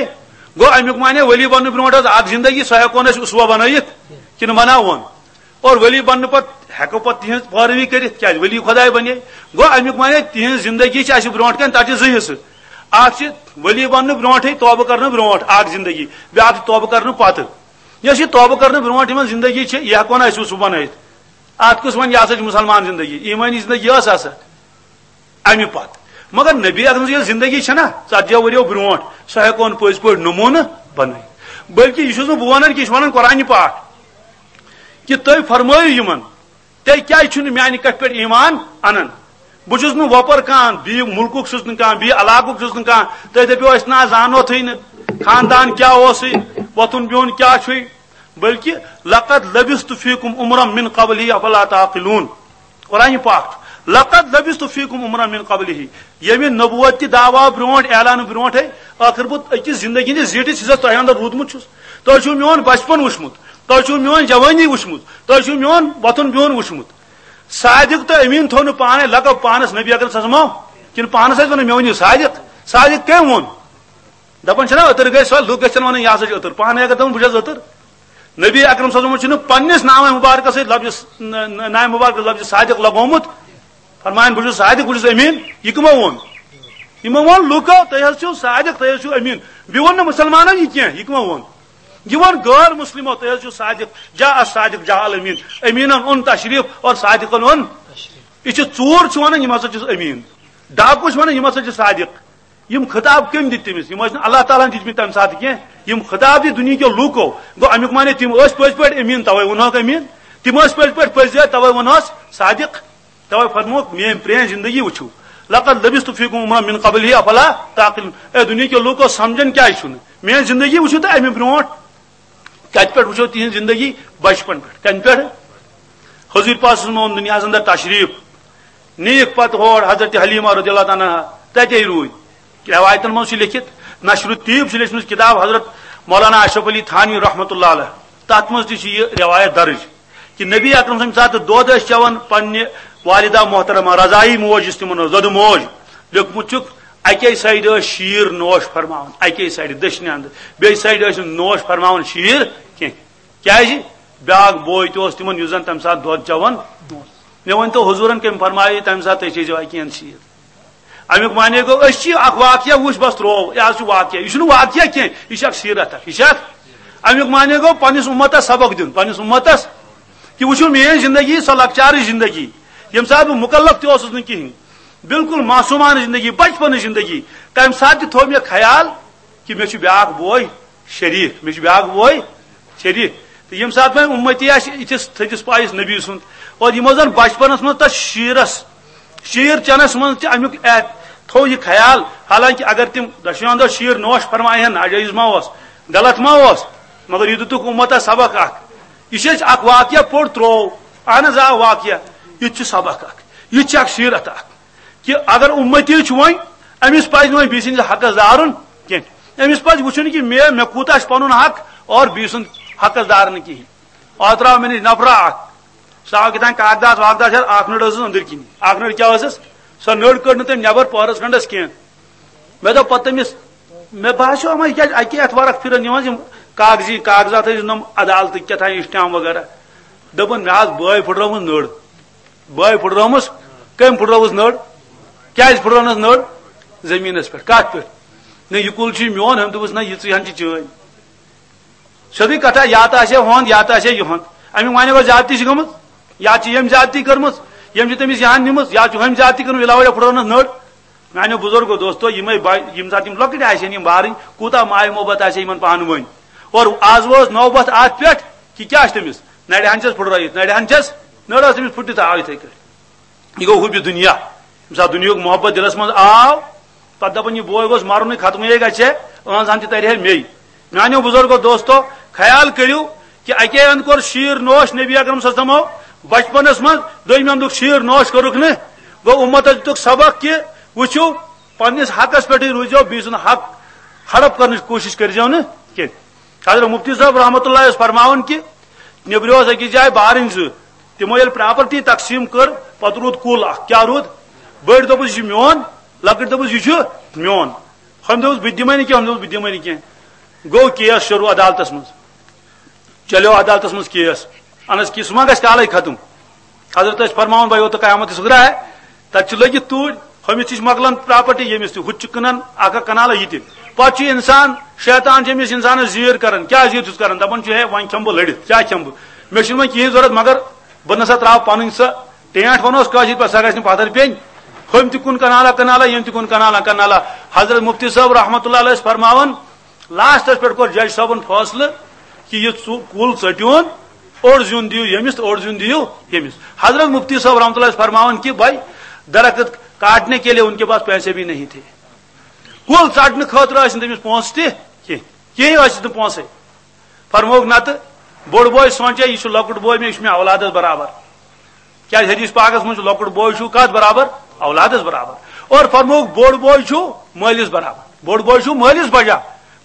گوٚو امیُک معنی ولی بننہٕ برونٛٹھ ٲس اکھ زندگی، سۄ ہٮ۪کو نہٕ أسۍ اسوہ بنٲیِتھ کِنہٕ بناوون؟ اور ولی بننہٕ پتہٕ ہٮ۪کو پتہٕ تِہنٛز پٲروی کٔرِتھ، کیٛازِ ولی خداے بنے۔ گوٚو امیُک معنی تِہنٛز زندگی چھِ اسہِ برونٛٹھ کنہِ، تتھ چھِ زٕ حصہٕ۔ اکھ چھِ ولی بننہٕ برونٛٹھٕے، توبہٕ کرنہٕ برونٛٹھ اکھ زندگی، بیاکھ چھِ توبہٕ کرنہٕ پتہٕ۔ یۄس یہِ توبہٕ کرنہٕ برونٛٹھ یِمن زندگی چھِ، یہِ ہٮ۪کو نہٕ أسۍ سُہ بنٲیِتھ۔ اتھ کُس ونہِ، یہِ ہسا چھِ مسلمان زندگی، ایمٲنی زندگی ٲس ہسا امہِ پتہٕ۔ مگر نبی اکرم سٕنٛز یۄس زندگی چھےٚ نا، ژتجی ؤرۍیو برونٛٹھ، سۄ ہٮ۪کو نہٕ پٔزۍ پٲٹھۍ نموٗنہٕ بنٲیِتھ۔ بلکہِ یہِ چھُس نہٕ بہٕ ونان کینٛہہ، یہِ چھُ ونان قرآنِ پاک کہِ تُہۍ فرمٲیِو یِمن، تُہۍ کیٛازِ چھِو نہٕ میانہِ کتھِ پٮ۪ٹھ ایمان انان؟ بہٕ چھُس نہٕ وۄپر کانٛہہ، بیٚیہِ مُلکُک چھُس نہٕ کانٛہہ، بیٚیہِ علاقُک چھُس نہٕ کانٛہہ۔ تُہۍ دٔپِو، أسۍ نہ زانوتھٕے نہٕ خاندان کیٛاہ اوسُے، وۄتھُن بِہُن کیٛاہ چھُے۔ بلکہِ لقد لبثت فیکم عمرا من قبلہ افلا تعقلون۔ قرآن پاک چھُ، لقد لبثت فیکم عمرا من قبلہ۔ ییٚمہِ نبوت تہِ دعویٰ برونٛٹھ، اعلان برونٛٹھے، ٲخر بہٕ أکِس زندگی ہٕنٛدِس زیٖٹھِس حصس تۄہہِ اندر روٗدمُت چھُس۔ تۄہہِ چھُو میون بچپن وٕچھمُت، تۄہہِ چھُو میون جوانی وٕچھمُت، تۄہہِ چھُو میون وۄتھُن بِہُن وٕچھمُت۔ صادق تہٕ امین تھوٚو نہٕ پانے لقب پانس نبی اکرم صلی اللہ علیہ وسلم، کِنہٕ پانس ٲسۍ ونان، مےٚ ؤنِو صادق؟ صادق کٔمۍ ووٚن؟ دپان چھِنہ أتٕر گٔے سۄ، لُکھ گژھن ونٕنۍ، یہِ ہسا چھُ أتٕر، پانے اگر دپان بہٕ چھَس أتٕر۔ نبی اکرم صلی اللہ علیہ وسلم چھُنہٕ پننِس نامہ مبارکس سۭتۍ لفظ، ن-، ن-، نامہ مبارکس لفظ صادق لگومُت۔ فرمایان، بہٕ چھُس صادق، بہٕ چھُس امین۔ یہِ کٕمو ووٚن؟ یِمو ووٚن لُکو، تُہۍ حظ چھِو صادق، تُہۍ حظ چھِو امین۔ بیٚیہِ ووٚن نہٕ مسلمانن یہِ کینٛہہ، یہِ کٕمو ووٚن؟ یہِ ووٚن غٲر مسلمو، تُہۍ حظ چھِو صادق، جاء الصادق جاء الامین، امینن اوٚن تشریف اور صادقن اوٚن۔ یہِ چھِ ژوٗر چھِ ونان، یِم ہسا چھِس امین۔ ڈاکو چھِ ونان، یِم ہسا چھِ صادق۔ یِم خطاب کٔمۍ دِتۍ تٔمِس؟ یِم ٲسۍ نہٕ اللہ تعالیٰ ہن دِتمٕتۍ تمہِ ساتہٕ کینٛہہ۔ یِم خطاب دِتۍ دُنیہکیو لوٗکو۔ گوٚو، امیُک معنی تِم ٲسۍ پٔزۍ پٲٹھۍ امیٖن، توے ووٚنہوکھ امیٖن۔ تِم ٲسۍ پٔزۍ پٲٹھۍ پٔزۍ یٲرۍ، توے ووٚنہوس صادق۔ توے فرمووُکھ، میٲنۍ پرٛٲنۍ زندگی وٕچھِو۔ لقد لبثت فیکم عمرا من قبلہ افلا تعقلون۔ اے دُنیہکیو لوٗکو، سمجھن کیٛازِ چھُنہٕ؟ میٲنۍ زندگی وٕچھِو تہٕ امہِ برونٛٹھ۔ کتہِ پٮ۪ٹھ وٕچھو تِہنٛز زندگی؟ بچپن پٮ۪ٹھ۔ کمہِ پٮ۪ٹھ؟ حضور پاک صلی اللہ علیہ وسلم اوٚن دُنیاہس اندر تشریف، نیٖکھ پتہٕ ہور حضرت حلیمہ رضی اللہ تعالیٰ عنہا تتے روٗدۍ۔ روایتن منٛز چھُ لیکھِتھ، نشر الطیب چھِ لیچھمٕژ کتاب حضرت مولانا اشرف علی تھانوی رحمۃ اللہ علیہ، تتھ منٛز تہِ چھِ یہِ روایت درج کہِ نبی اکرم سٕنٛدِ ساتہٕ دۄد ٲسۍ چٮ۪وان پننہِ والدہ محترمہ، رضاعی موج یُس تِمن ٲس، دۄدٕ موج، لیوٚکھمُت چھُکھ، اکے سایڈٕ ٲسۍ شیٖر نوش فرماوان، اکے سایڈٕ دٔچھنہِ اندٕ، بیٚیہِ سایڈٕ ٲسۍ نہٕ نوش فرماوان شیٖر کینٛہہ۔ کیازِ؟ بیاکھ بوے تہِ اوس تِمن، یُس زن تمہِ ساتہٕ دۄد چٮ۪وان اوس۔ مےٚ ؤنۍ تو، حضوٗرن کٔمۍ فرمایہِ تمہِ ساتہٕ، تُہۍ چیٚیزیو اَکہِ اَندٕ شیٖر؟ امیُک معنی گوٚو، أسۍ چھِ اکھ واقعہ وٕچھ، بس ترٛوو، یہِ حظ چھُ واقعہ، یہِ چھُنہٕ واقعہ کینٛہہ، یہِ چھُ اکھ سیٖرت اکھ، یہِ چھِ اکھ۔ امیُک معنی گوٚو، پننِس اُمتس سبق دیُن، پننِس اُمتس کہِ وٕچھِو، میٲنۍ زندگی، سۄ لۄکچارٕچ زندگی، ییٚمہِ ساتہٕ بہٕ مُکلف تہِ اوسُس نہٕ کِہینۍ، بالکل معصومانہٕ زندگی، بچپنٕچ زندگی، تمہِ ساتہٕ تہِ تھوٚو مےٚ خیال کہِ مےٚ چھُ بیاکھ بوے شریٖک، مےٚ چھُ بیاکھ بوے شریٖک۔ تہٕ ییٚمہِ ساتہٕ وۄنۍ اُمتی آسہِ یِتھِس تھٔدِس پایَس نبی سُنٛد، اور یِمو زَن بچپنَس منٛز تَتھ شیٖرَس، شیٖر چٮ۪نَس منٛز تہِ اَمیُک احت-، تھوٚو یہِ خیال، حالانکہِ اگر تِم دۄشوٕنی دۄہ شیٖر نوش فرمایہِ ہن، ناجٲیز ما اوس، غلط ما اوس، مگر یہِ دِتُکھ اُمتَس سبق اَکھ۔ یہِ چھِ أسۍ اَکھ واقعہ پوٚر ترٛوو، اَہَن حظ، آ، واقعہ، یہِ تہِ چھُ سبق اَکھ، یہِ تہِ چھِ اَکھ سیٖرت اَکھ۔ کہِ اگر اُمتی چھُ وۄنۍ، أمِس پَزِ نہٕ وۄنۍ بیٚیہِ سٕنٛدِس حقس دارُن کینٛہہ۔ أمِس پَزِ وٕچھُن کہِ مےٚ، مےٚ کوٗتاہ چھُ پَنُن حق اور بیٚیہِ سُنٛد حقس دار نہٕ کِہیٖنۍ۔ اوترٕ آو مےٚ نِش نفرا اکھ، سُہ آو کِتھانۍ کاغذات واغذات ہٮ۪تھ، اکھ نٔٹ ٲسٕس أنٛدٕرۍ کِنی، اکھ نٔٹ کیٛاہ ٲسٕس؟ سۄ نٔٹ کٔڑ نہٕ تٔمۍ نٮ۪بر پٔہرس کھنٛڈس کینٛہہ۔ مےٚ دوٚپ پتہٕ تٔمِس، مےٚ باسیو، اما، یہِ کیٛازِ اَکے اَتھٕ ورق پھِران نِوان یِم کاغذی کاغذات ٲسۍ نۄم عدالتٕکۍ کیٛاہ تام stamp وغیرہ۔ دوٚپُن، مےٚ حظ بٲے پھٕٹرٲومٕژ نٔر۔ بٲے پھٕٹرٲومٕژ۔ کٔمۍ پھٕٹرٲوٕژ نٔر؟ کیٛازِ پھٕٹرٲونَس نٔر؟ زٔمیٖنَس پٮ۪ٹھ۔ کَتھ پٮ۪ٹھ؟ نہ، یہِ کُل چھُے میون، ہُمۍ دوٚپُس، نہ، یہِ ژٕے ہن چھِ چٲنۍ۔ سیوٚدُے کَتھا، یا تہٕ آسہِ ہا ہُہُنٛد، یا تہٕ آسہِ ہا یِہُنٛد۔ اَمیُک معنی گوٚو زیادتی چھِ گٔمٕژ، یا چھِ ییٚمۍ زیادتی کٔرمٕژ، ییٚمۍ چھِ تٔمِس یہِ ہن نِمٕژ، یا چھُ ہُمۍ زیادتی کٔرمٕژ، یہِ لاوَے پھٕٹرٲونَس نٔر۔ میانیو بزرگو دوستو، یِمے با-، یِم ساتہٕ یِم لۄکٕٹۍ آسن، یِم بارٕنۍ، کوٗتاہ ماے محبت آسہِ یِمن پانہٕ ؤنۍ۔ اور آز وٲژ نوبت اتھ پٮ۪ٹھ کہِ کیٛاہ آسہِ تٔمِس؟ نرِ ہن چھس پھُٹرٲیِتھ، نرِ ہن چھس، نٔر ٲس تٔمِس پھُٹِتھ آو یِتھے کٔٹھۍ۔ یہِ گوٚو حُبہِ دُنیا۔ ییٚمہِ ساتہٕ دُنیاہُک محبت دِلس منٛز آو، پتہٕ دپان، یہِ بوے گوٚژھ مرُنٕے، ختمٕے گژھِ ہے، أہنٛز ہن تہِ ترِ ہے مے۔ میانیو بزرگو دوستو، خیال کٔرِو کہِ اکے اندٕ کوٚر شیٖر نوش نبی اکرم صلی اللہ علیہ وسلمو بچپنس منٛز، دوٚیمہِ اندُک شیٖر نوش کوٚرُکھ نہٕ۔ گوٚو اُمتس دیُتُکھ سبق کہِ وٕچھِو، پننِس حقس پٮ۪ٹھٕے روٗزِو، بیٚیہِ سُنٛد حق ہڑپ کرنٕچ کوٗشِش کٔرۍزیو نہٕ کینٛہہ۔ حضرت مفتی صٲب رحمتہ اللہ ٲسۍ فرماوان کہِ نیٚبرِو ٲس أکِس جایہِ بارٕنۍ زٕ، تِمو ییٚلہِ پراپرٹی تقسیٖم کٔر، پتہٕ روٗد کُل اکھ۔ کیٛاہ روٗد؟ بٔڑۍ دوٚپُس، یہِ چھُ میون، لۄکٕٹۍ دوٚپُس، یہِ چھُ میون۔ ہُمۍ دوٚپُس، بہٕ تہِ دِمے نہٕ کینٛہہ، ہُمۍ دوٚپُس، بہٕ دِمے نہٕ کینٛہہ۔ گوٚو کیس شروٗع عدالتس منٛز۔ چلیو عدالتس منٛز کیس۔ اہن حظ، کہِ سُہ ما گژھِ کالے ختم؟ حضرت ٲسۍ فرماوان، بھائی، وہ تو قیامت صغریٰ ہے، تتہِ چھِ لٔگِتھ توٗرۍ، ہُمِس تہِ چھِ مۄکلان پراپرٹی، ییٚمِس تہِ، ہُہ تہِ چھُ کٕنان اکھ اکھ کنالہ یہِ تہِ۔ پتہٕ چھُ انسان، شیطان چھُ أمِس انسانس زیٖر کران، کیٛاہ زیٖر چھُس کران؟ دپان چھُ، ہے، وۄنۍ کھٮ۪مہٕ بہٕ لٔڑِتھ، کیٛاہ کھٮ۪مہٕ بہٕ؟ مےٚ چھُنہٕ وۄنۍ کِہیٖنۍ ضوٚرتھ، مگر بہٕ نسا ترٛاوٕ پنٕنۍ سۄ ٹینٛٹ، ونوس کٲشِر پٲٹھۍ، سۄ گژھِ نہٕ پتھر پیٚنۍ۔ ہُمۍ تہِ کُن کنالہ کنالہ، ییٚمۍ تہِ کُن کنالہ کنالہ۔ حضرت مفتی صٲب رحمتہ اللہ علیہ ٲسۍ فرماوان، لاسٹس پٮ۪ٹھ کوٚر جج صٲبن فٲصلہٕ کہِ یہِ ژُ-، کُل ژٔٹِوُن، اوٚڑ زیُن دِیِو ییٚمِس تہٕ اوٚڑ زیُن دِیِو ییٚمِس۔ حضرت مفتی صٲب رحمتہ اللہ ٲسۍ فرماوان کہِ بھائی، درخت کاٹنے کے لیے ان کے پاس پیسے بھی نہیں تھے۔ کُل ژٹنہٕ خٲطرٕ ٲسۍ نہٕ تٔمِس پونٛسہٕ تہِ کینٛہہ، کِہیٖنۍ ٲسِس نہٕ پونٛسَے۔ فرمووُکھ، نتہٕ بوٚڑ بوے سونٛچے، یہِ چھُ لۄکُٹ بوے مےٚ، یہِ چھُ مےٚ اولادس برابر۔ کیٛازِ حدیث پاکس منٛز چھُ لۄکُٹ بوے چھُ کتھ برابر؟ اولادس برابر۔ اور فرمووُکھ، بوٚڑ بوے چھُ مٲلِس برابر۔ بوٚڑ بوے چھُ مٲلِس بجا۔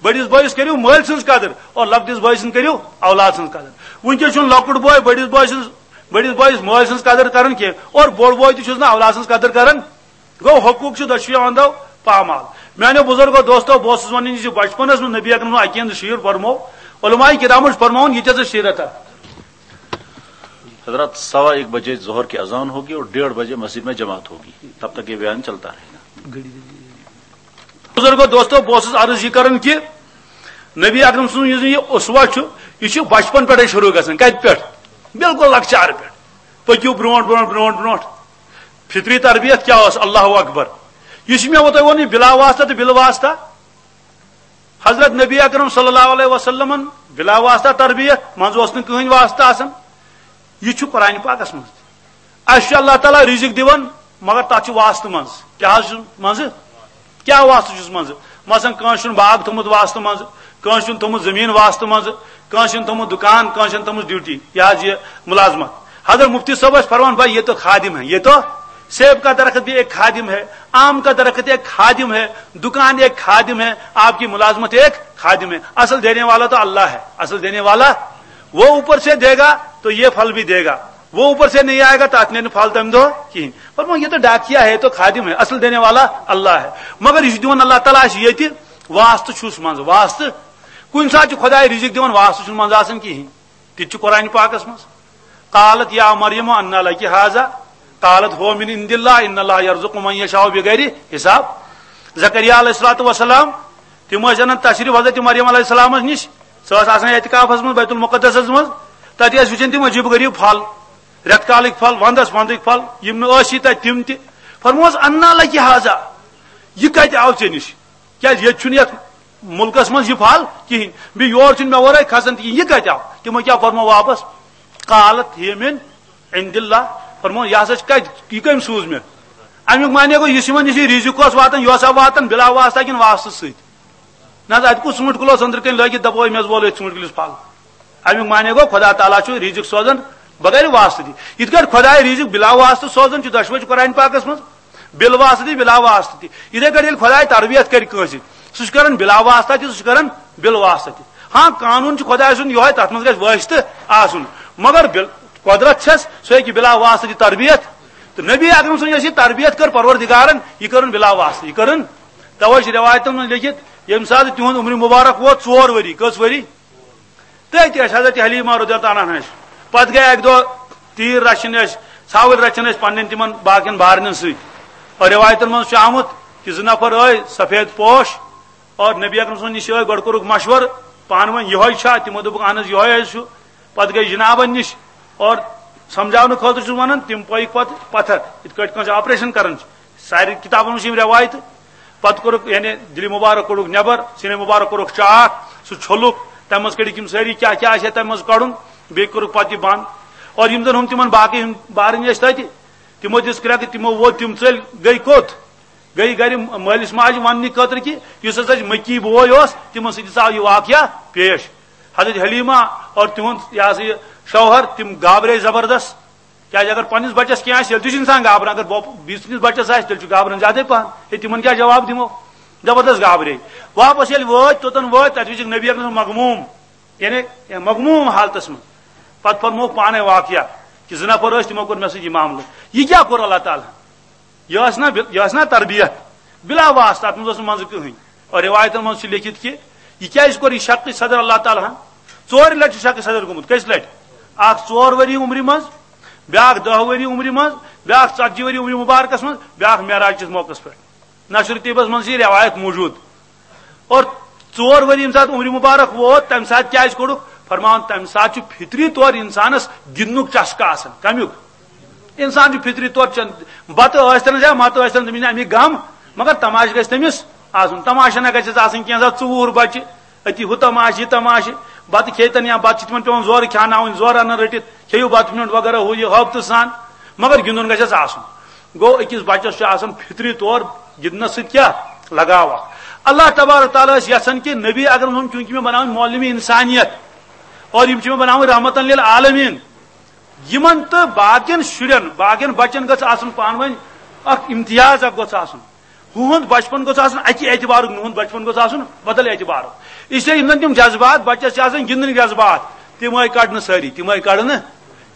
بٔڑِس بٲیِس کٔرِو مٲلۍ سٕنٛز قدر اور لۄکٹِس بٲے سٕنٛز کٔرِو اولاد سٕنٛز قدر۔ وٕنکیٚس چھُنہٕ لۄکُٹ بوے بٔڑِس بٲے سٕنٛز، بٔڑِس بٲیِس مٲلۍ سٕنٛز قدر کران کینٛہہ اور بوٚڑ بوے تہِ چھُس نہٕ اولاد سٕنٛز قدر کران۔ گوٚو، حقوٗق چھِ دۄشوٕیو اندو پامال۔ میانیو بزرگو دوستو، بہٕ اوسُس ونان زِ بچپنس منٛز نبی اکرم سُنٛد اکہِ ہِنٛدِ شیٖر پرمو، علماء کرامو چھُ پرماوان، یہِ تہِ ہسا شیٖرتھا۔ حضرات، سوا ایک بجے ظہر کی اذان ہوگی اور ڈیڑھ بجے مسجد میں جماعت ہوگی، تب تک یہ بیان چلتا رہے گا۔ بزرگو دوستو، بہٕ اوسُس عرض یہِ کران کہِ نبی اکرم سُنٛد یُس یہِ اسوہ چھُ، یہِ چھُ بچپن پٮ۪ٹھے شروع گژھان۔ کتہِ پٮ۪ٹھ؟ بالکل لۄکچارٕ پٮ۪ٹھ۔ پٔکِو برونٛٹھ، برونٛٹھ، برونٛٹھ، برونٛٹھ۔ فطری تربیت کیٛاہ ٲس؟ اللہ اکبر۔ یہِ چھُ مےٚ وۄنۍ تۄہہِ ووٚن، یہِ بلا واسطہ تہٕ بِلا واسطہ۔ حضرت نبی اکرم صلی اللہ علیہ وسلمن بلا واسطہ تربیت، منٛزٕ اوس نہٕ کٕہٕنۍ واسطہ آسان۔ یہِ چھُ قرآن پاکس منٛز تہِ۔ اَسہِ چھُ اللہ تعالیٰ رزق دِوان، مگر تَتھ چھُ واسطہٕ منٛزٕ۔ کیٛاہ حظ چھُ منٛزٕ؟ کیٛاہ واسطہٕ چھُس منٛزٕ؟ مثلاً، کٲنٛسہِ چھُنہٕ باغ تھوٚمُت واسطہٕ منٛزٕ، کٲنٛسہِ چھُنہٕ تھوٚمُت زٔمیٖن واسطہٕ منٛزٕ، کٲنٛسہِ چھُنہٕ تھوٚمُت دُکان، کٲنٛسہِ چھَنہٕ تھٲومٕژ ڈیوٹی، یہِ حظ یہِ مُلازمت۔ حضرت مفتی صٲب ٲسۍ فرماوان، بھائی، یہ تو خادم ہے، یہ تو سیب کا درخت بھی ایک خادم ہے، آم کا درخت ایک خادم ہے، دکان ایک خادم ہے، آپ کی ملازمت ایک خادم ہے۔ اصل دینے والا تو اللہ ہے، اصل دینے والا وہ اوپر سے دے گا تو یہ پھل بھی دے گا، وہ اوپر سے نہیں آئے گا تو اتنے پھل تم دو کہیں۔ فرمایا، یہ تو ڈاکیا ہے، یہ تو خادم ہے، اصل دینے والا اللہ ہے۔ مگر یہ دون اللہ تعالیٰ، یہ واسطہ چھُس منٛز، واسطہ۔ کُنہِ ساتہٕ چھُ خداے رزق دِوان، واسطہٕ چھُنہٕ منٛزٕ آسان کِہیٖنۍ۔ تہِ تہِ چھُ قرآن پاکس منٛز۔ قالت یا مریم انا لکی ھذا، قالت ھو من عند اللہ ان اللہ یرزق من یشاء بغیر حساب۔ زکریا علیہ الصلوۃ والسلام، تِم ٲسۍ انان تشریف حضرت مریم علیہ السلامس نِش۔ سۄ ٲس آسان اعتکافس منٛز بیت المقدسس منٛز۔ تتہِ ٲسۍ وٕچھان تِم عجیب غریب پھل، رٮ۪تہٕ کالٕکۍ پھل، ونٛدس ونٛدٕکۍ پھل، یِم نہٕ ٲسی تتہِ تِم تہِ۔ فرمووس، انا لکی ھذا، یہِ کتہِ آو ژےٚ نِش؟ کیٛازِ ییٚتہِ چھُنہٕ یتھ مُلکس منٛز یہِ پھل کِہینۍ، بیٚیہِ یور چھُنہٕ مےٚ ورٲے کھسان تہِ کِہینۍ، یہِ کتہِ آو؟ تِمو کیٛاہ فرموو واپس؟ قالت ھیہ من عند اللہ، فرموو، یہِ ہسا چھُ کتہِ، یہِ کٔمۍ سوٗز مےٚ؟ امیُک معنی گوٚو، یُس یِمن نِش یہِ رِزق اوس واتان، یہِ اوسا واتان بِلا واسطہ کِنہٕ واسطہٕ سۭتۍ؟ نہ حظ، اتہِ کُس ژوٗنٛٹھۍ کُل اوس أنٛدرٕ کنہِ لٲگِتھ، دپو، أمۍ حظ وول أتھۍ ژوٗنٛٹھۍ کُلِس پھل۔ امیُک معنی گوٚو، خدا تعالیٰ چھُ رِزق سوزان بغیر واسطہٕ تہِ۔ یِتھ کٲٹھۍ خداے رِزق بِلا واسطہٕ سوزان چھُ، دۄشوے چھِ قرآن پاکس منٛز، بِل واسطہٕ تہِ، بِلا واسطہٕ تہِ۔ یِتھے کٲٹھۍ ییٚلہِ خداے تربیت کرِ کٲنٛسہِ، سُہ چھُ کران بلا واسطہ تہِ، سُہ چھُ کران بِل واسطہ تہِ۔ ہاں، قانوٗن چھُ خۄداے سُنٛد یِہوٚے، تَتھ منٛز گژھِ وٲسۍ تہٕ آسُن، مگر بِل-، قۄدرت چھَس، سُہ ہیٚکہِ بلا واسطہ تہِ تربیت۔ تہٕ نبی اکرم سٕنٛز یۄس یہِ تربیت کٔر پروردگارن، یہِ کٔرٕن بلا واسطہ، یہِ کٔرٕن۔ توے چھِ رٮ۪وایتن منٛز لیٚکھِتھ، ییٚمہِ ساتہٕ تِہُنٛد عمرِ مُبارک ووت ژور ؤری، کٔژ ؤری؟ تٔتھۍ ٲسۍ حضرت حلیمہ رضی اللہ تعالیٰ عنہا ٲسۍ۔ پتہٕ گٔے اکہِ دۄہ تیٖر رچھِنۍ ٲسۍ، ژھاوٕلۍ رچھِنۍ ٲسۍ پننٮ۪ن تِمن باقین بارنٮ۪ن سۭتۍ۔ اور رٮ۪وایتن منٛز چھُ آمُت کہِ زٕ نفر ٲے سفید پوش اور نبی اکرم صٲبن نِش ٲے، گۄڈٕ کوٚرُکھ مشورٕ پانہٕ ؤنۍ، یِہوٚے چھا؟ تِمو دوٚپُکھ، اہن حظ، یِہوٚے حظ چھُ۔ پتہٕ گٔے جنابن نِش اور سمجھاونہٕ خٲطرٕ چھُس ونان، تِم پٔکۍ پتہٕ پتھر، یِتھ کٲٹھۍ کٲنٛسہِ آپریشن کران چھِ۔ سارے کتابن منٛز چھِ یِم رٮ۪وایتہٕ۔ پتہٕ کوٚرُکھ، یعنی، دِلہِ مُبارک کوٚڑُکھ نٮ۪بر، سیٖنے مُبارک کوٚرُکھ چاک، سُہ چھوٚلُکھ، تَمہِ منٛز کٔڑِکھ یِم سٲری کیٛاہ کیٛاہ آسہِ ہے تَمہِ منٛز کَڑُن، بیٚیہِ کوٚرُکھ پتہٕ یہِ بنٛد۔ اور یِم زن ہُم تِمن باقٕے یِم بارٕنۍ ٲسۍ تَتہِ، تِمو دِژ کرٛٮ۪کہٕ، تِمو ووت تِم ژٔلۍ، گٔے کوٚت؟ گٔے گرِ مٲلِس ماجہِ وننہٕ خٲطرٕ کہِ یُس ہسا اَسہِ مکی بوے اوس، تِمن سۭتۍ ہسا آو یہِ واقعہ پیش۔ حضرت حلیمہ اور تِہُنٛد، یہِ ہسا یہِ شوہر، تِم گابرے زبردست۔ کیازِ اگر پننِس بچس کینٛہہ آسہِ، تیٚلہِ تہِ چھُ انسان گابران۔ اگر بۄپ-، بیٚیِس سٕنٛدِس بچس آسہِ، تیٚلہِ چھُ گابران زیادَے پہن۔ ہے، تِمن کیٛاہ جواب دِمو؟ زبردست گابرے۔ واپس ییٚلہِ وٲتۍ، توٚتن وٲتۍ، تتہِ وٕچھِکھ نبی اکرم صٲب مغموم، یعنی مغموم حالتس منٛز۔ پتہٕ فرمووُکھ پانے واقعہ کہِ زٕ نفر ٲسۍ، تِمو کوٚر مےٚ سۭتۍ یہِ معاملہٕ۔ یہِ کیٛاہ کوٚر اللہ تعالیٰ ہن؟ یہِ ٲس نا بِل-، یہِ ٲس نا تربیت؟ بلا واسطہ، اتھ منٛز اوس نہٕ منٛزٕ کٕہٕنۍ۔ اور رٮ۪وایتن منٛز چھُ لیٚکھِتھ کہِ یہِ کیٛازِ کوٚر یہِ شق صدر اللہ تعالیٰ ہن؟ ژورِ لٹہِ چھُ شق صدر گوٚمُت۔ کٔژِ لٹہِ؟ اکھ ژور ؤری عمرِ منٛز، بیٛاکھ دَہ ؤری عمرِ منٛز، بیٛاکھ ژتجی ؤری عمرِ مبارکس منٛز، بیٛاکھ معراج کِس موقعس پٮ۪ٹھ۔ نشر طیبس منٛز چھِ یہِ رٮ۪وایت موجود۔ اور ژور ؤری ییٚمہِ ساتہٕ عمرِ مبارک ووت، تمہِ ساتہٕ کیٛازِ کوٚڑُکھ؟ فرماوان، تمہِ ساتہٕ چھُ فطری طور انسانس گِنٛدنُک چسکہٕ آسان۔ کمیُک؟ انسان چھُ فطری طور چن-، بتہٕ ٲسۍتن یا متہٕ ٲسۍتن، تٔمِس چھُنہٕ امیُک غم، مگر تماشہٕ گژھِ تٔمِس آسُن۔ تماشہٕ نہ گژھٮ۪س آسٕنۍ کینٛہہ، سا ژوٗر بچہِ، أتی ہُہ تماشہٕ، یہِ تماشہٕ۔ بتہٕ کھیٚتن یا بتہٕ چھِ تِمن پٮ۪وان زورٕ کھیٛاناونٕنۍ، زورٕ انان رٔٹِتھ، کھیٚیِو بتہٕ میوٚنٛڈ وغیرہ، ہُہ یہِ، ہٲبتہٕ سان، مگر گِنٛدُن گژھٮ۪س آسُن۔ گوٚو، أکِس بچس چھُ آسان فطری طور گِنٛدنس سۭتۍ کیٛاہ؟ لگاو اکھ۔ اللہ تبارک تعالیٰ ٲسۍ یژھان کہِ نبی اکرم صٲب، چوٗنٛکہِ مےٚ بناوٕنۍ معلم انسانیت اور یِم چھِ مےٚ بناوٕنۍ رحمتن للعالمین، یِمن تہٕ باقین شُرٮ۪ن، باقین بچن گٔژھ آسُن پانہٕ ؤنۍ اکھ امتیاز اکھ گوٚژھ آسُن۔ ہُہُنٛد بچپن گوٚژھ آسُن اکہِ اعتبارُک، نُہُنٛد بچپن گوٚژھ آسُن بدل اعتبارُک۔ اس لیے یِم زن تِم جذبات بچس چھِ آسان، گِنٛدنٕکۍ جذبات، تِم آے کڑنہٕ سٲری، تِم آے کڑنہٕ۔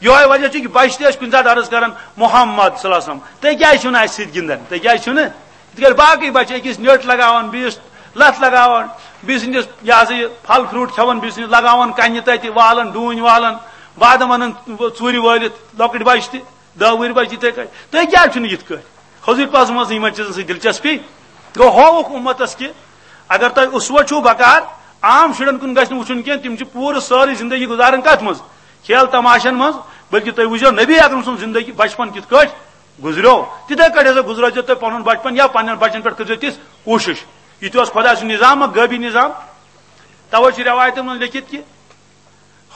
یِہوے وجہ چھُ کہِ بچہِ تہِ ٲسۍ کُنہِ ساتہٕ عرض کران، محمد صلی اللہ علیہ وسلم، تُہۍ کیٛازِ چھِو نہٕ اَسہِ سۭتۍ گِنٛدان؟ تُہۍ کیٛازِ چھِو نہٕ؟ یِتھ کٲٹھۍ باقٕے بچہِ أکِس نیٚٹ لگاوان، بیٚیِس لَتھ لگاوان، بیٚیِس سٕنٛدِس، یہِ ہسا یہِ، پھل فروٹ کھٮ۪وان، بیٚیِس سٕنٛدِس لگاوان کنہِ تَتہِ، والان ڈوٗنۍ والان، بادام انان ژوٗرِ وٲلِتھ، لۄکٕٹۍ بچہِ تہِ، دَہ وُہٕرۍ بچہِ یِتھَے کٲٹھۍ۔ تُہۍ کیٛازِ چھِو نہٕ یِتھ کٲٹھۍ؟ حضوٗرِ پاکَس منٛز یِمن چیٖزن سۭتۍ دلچسپی۔ گوٚو، ہووُکھ اُمتس کہِ اگر تۄہہِ اسوہ چھُو بکار، عام شُرٮ۪ن کُن گژھِ نہٕ وٕچھُن کینٛہہ، تِم چھِ پوٗرٕ سٲرٕے زندگی گُزاران کتھ منٛز؟ کھیل تماشن منٛز۔ بلکہِ تُہۍ وٕچھزیو نبی اکرم سُنٛد زندگی، بچپن کِتھ کٲٹھۍ گُزریو، تِتھے کٲٹھۍ ہسا گُزرٲوزیو تُہۍ پنُن بچپن یا پننٮ۪ن بچن پٮ۪ٹھ کٔرزیو تِژھ کوٗشش۔ یہِ تہِ اوس خۄداے سُنٛد نظام، غٲبی نظام۔ توے چھِ رٮ۪وایتن منٛز لیٚکھِتھ کہِ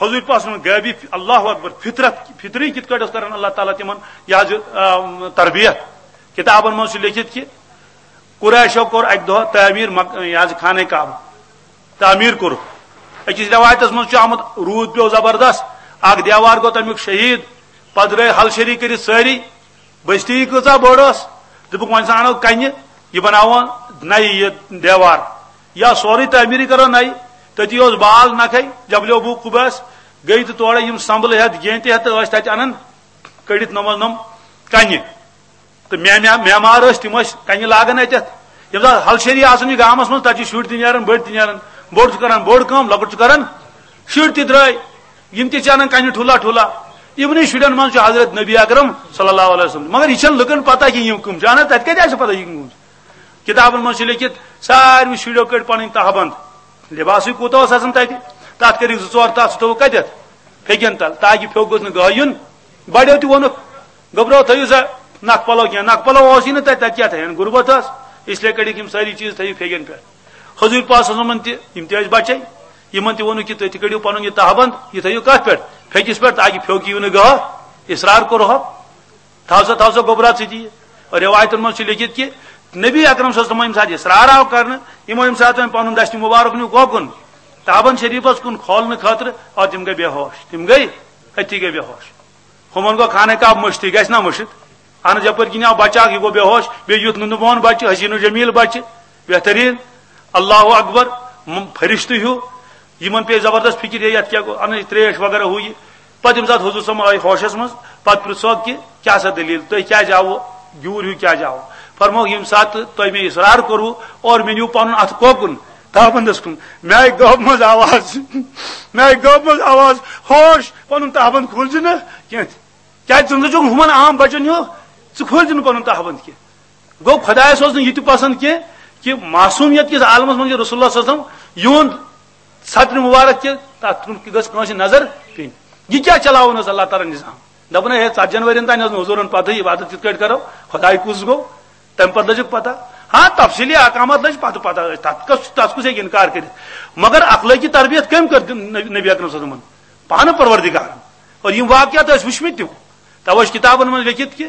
حضوٗرِ پاک صلی اللہ علیہ وسلم غٲبی، اللہ اکبر، فطرت، فطری کِتھ کٲٹھۍ اوس کران اللہ تعالیٰ تِمن یہِ حظ، یہِ، آم، تربیت۔ کِتابن منٛز چھُ لیٚکھِتھ کہِ قریشو کوٚر اکہِ دۄہ تعمیٖر مک-، یہِ حظ خانہ کعبہ تعمیٖر کوٚرُکھ۔ أکِس رٮ۪وایتس منٛز چھُ آمُت، روٗد پیوٚو زبردست، اکھ دیوار گوٚو تمیُک شہیٖد، پتہٕ درٛاے ہل شری کٔرِتھ سٲری، بستی کۭژاہ بٔڑ ٲس، دوٚپُکھ، وۄنۍ ژھانڈو کنہِ، یہِ بناوو نَیہِ یہِ دیوار، یا سورُے تعمیٖرٕے کرو نَیہِ۔ تٔتی اوس بال نکھے، جبل ابو قبیس، گٔے تہٕ تورے یِم سمبلہٕ ہٮ۪تھ، گینٛٹہِ ہٮ۪تھ تہٕ ٲسۍ تتہِ انان کٔڑِتھ نۄم نۄم کنہِ۔ تہٕ مے-، مے-، معمار ٲسۍ، تِم ٲسۍ کنہِ لاگان اتٮ۪تھ۔ ییٚمہِ ساتہٕ ہل شری آسان چھُ گامس منٛز، تتہِ چھِ شُرۍ تہِ نیران، بٔڑۍ تہِ نیران، بوٚڑ چھُ کران بوٚڑ کٲم، لۄکُٹ چھُ کران شُرۍ تہِ درٛاے، یِم تہِ چھِ انان کنہِ ٹھوٗلا ٹھوٗلا۔ یِمنٕے شُرٮ۪ن منٛز چھُ حضرت نبی اکرم صلی اللہ علیہ وسلم، مگر یہِ چھنہٕ لُکن پتہ کہِ یِم کٕم چھِ، اہن حظ، تتہِ کتہِ آسہِ پتہ یہِ کٕم چھِ؟ کتابن منٛز چھُ لیٚکھِتھ، ساروٕے شُرٮ۪و کٔڑۍ پنٕنۍ تہہ بند، لباسٕے کوٗتاہ اوس آسان تتہِ، تتھ کٔرِکھ زٕ ژور تہہ، سُہ تھوٚوُکھ کتٮ۪تھ؟ پھیٚکٮ۪ن تل، تاکہِ پھیوٚک گوٚژھ نہٕ گاہ یُن۔ بڑیو تہِ ووٚنُکھ، گوٚبرو، تھٲیِو سا نکھٕ پلو کینٛہہ، نکھٕ پلو اوسُے نہٕ تتہِ، تتہِ کیٛاہ تھاوَن، غربت ٲس، اس لیے کٔڑِکھ یِم سٲری چیٖز تھٲیِو پھیٚکٮ۪ن پٮ۪ٹھ۔ حضوٗرِ پاک صلی اللہ علیہ وسلمن تہِ، یِم تہِ ٲسۍ بچے، یِمن تہِ ووٚنُکھ کہِ تُہۍ تہِ کٔڑِو پنُن یہِ تہہ بند، یہِ تھٲیِو کتھ پٮ۪ٹھ؟ پھیٚکِس پٮ۪ٹھ، تاکہِ پھیوٚک یِیِو نہٕ گاہ، اصرار کوٚرہوکھ، تھاو سا، تھاو سا گوٚبرا ژٕ تہِ یہِ۔ رٮ۪وایتن منٛز چھُ لیٚکھِتھ کہِ نبی اکرم صلی اللہ علیہ وسلم ییٚمہِ ساتہٕ اصرار آو کرنہٕ، یِمو ییٚمہِ ساتہٕ وۄنۍ پنُن دستِ مبارک نیوٗ کوکُن، تہبند شریفس کُن کھولنہٕ خٲطرٕ، آو تِم گٔے بے ہوش، تِم گٔے أتھی گٔے بے ہوش۔ ہُمن گوٚو خانہ کعبہ مٔشتٕے، گژھِ نا مٔشِتھ؟ اہن حظ، یپٲرۍ کِنۍ آو بچہٕ اکھ، یہِ گوٚو بے ہوش، بیٚیہِ یُتھ نُنہٕ بون بچہٕ، حسین و جمیل بچہٕ، بہترین۔ اللہ اکبر، م-، فرشتہٕ ہیوٗ، یِمن پیٚیہِ زبردست فکر، ہے، یتھ کیٛاہ گوٚو، انٕچ ترٛیش وغیرہ ہُہ یہِ۔ پتہٕ ییٚمہِ ساتہٕ حضور صٲب آیہِ ہوشس منٛز، پتہٕ پرٛژھوکھ کہِ کیٛاہ سا دٔلیٖل، تُہۍ کیٛازِ آوٕ، گیوٗر ہیوٗ کیٛازِ آوٕ؟ فرمووُکھ، ییٚمہِ ساتہٕ تۄہہِ مےٚ اصرار کوٚروٕ اور مےٚ نیوٗ پنُن اتھٕ کوکُن تہبندس کُن، مےٚ آیہِ گٲبہٕ منٛز آواز، مےٚ آیہِ گٲبہٕ منٛز آواز، ہوش، پنُن تہبند کھوٗل زِ نہٕ کینٛہہ۔ کیٛازِ ژٕ نہٕ چھُکھ ہُمن عام بچن ہیوٗ، ژٕ کھوٗل زِ نہٕ پنُن تہبند کینٛہہ۔ گوٚو، خۄدایس اوس نہٕ یہِ تہِ پسند کینٛہہ کہِ معصومیت کِس عالمس منٛز چھُ رسول اللہ صلی اللہ علیہ وسلم یِہُنٛد سترِ مبارک تہِ، تتھ کُن گٔژھ کٲنٛسہِ نظر پیٚنۍ۔ یہِ کیٛاہ چلاوُن اوس اللہ تعالیٰ ہن نظام؟ دپان ہے، ژتجی ؤرین تام ٲس نہٕ حضوٗرن پتہٕے عبادت کِتھ کٲٹھۍ کرو، خۄداے کُس گوٚو، تمہِ پتہٕ لٔجکھ پتہ۔ ہاں، تفصیلی احکامات لٔج پتہٕ پتہ، تتھ کس، تتھ کُس ہیٚکہِ انکار کٔرِتھ؟ مگر اخلٲقی تربیت کٔمۍ کٔر نبی، نبی اکرم صلی اللہ علیہ وسلمن؟ پانہٕ پروردگارن۔ اور یِم واقعات ٲسۍ وٕچھمٕتۍ تِم، توے چھِ کتابن منٛز لیکھِتھ کہِ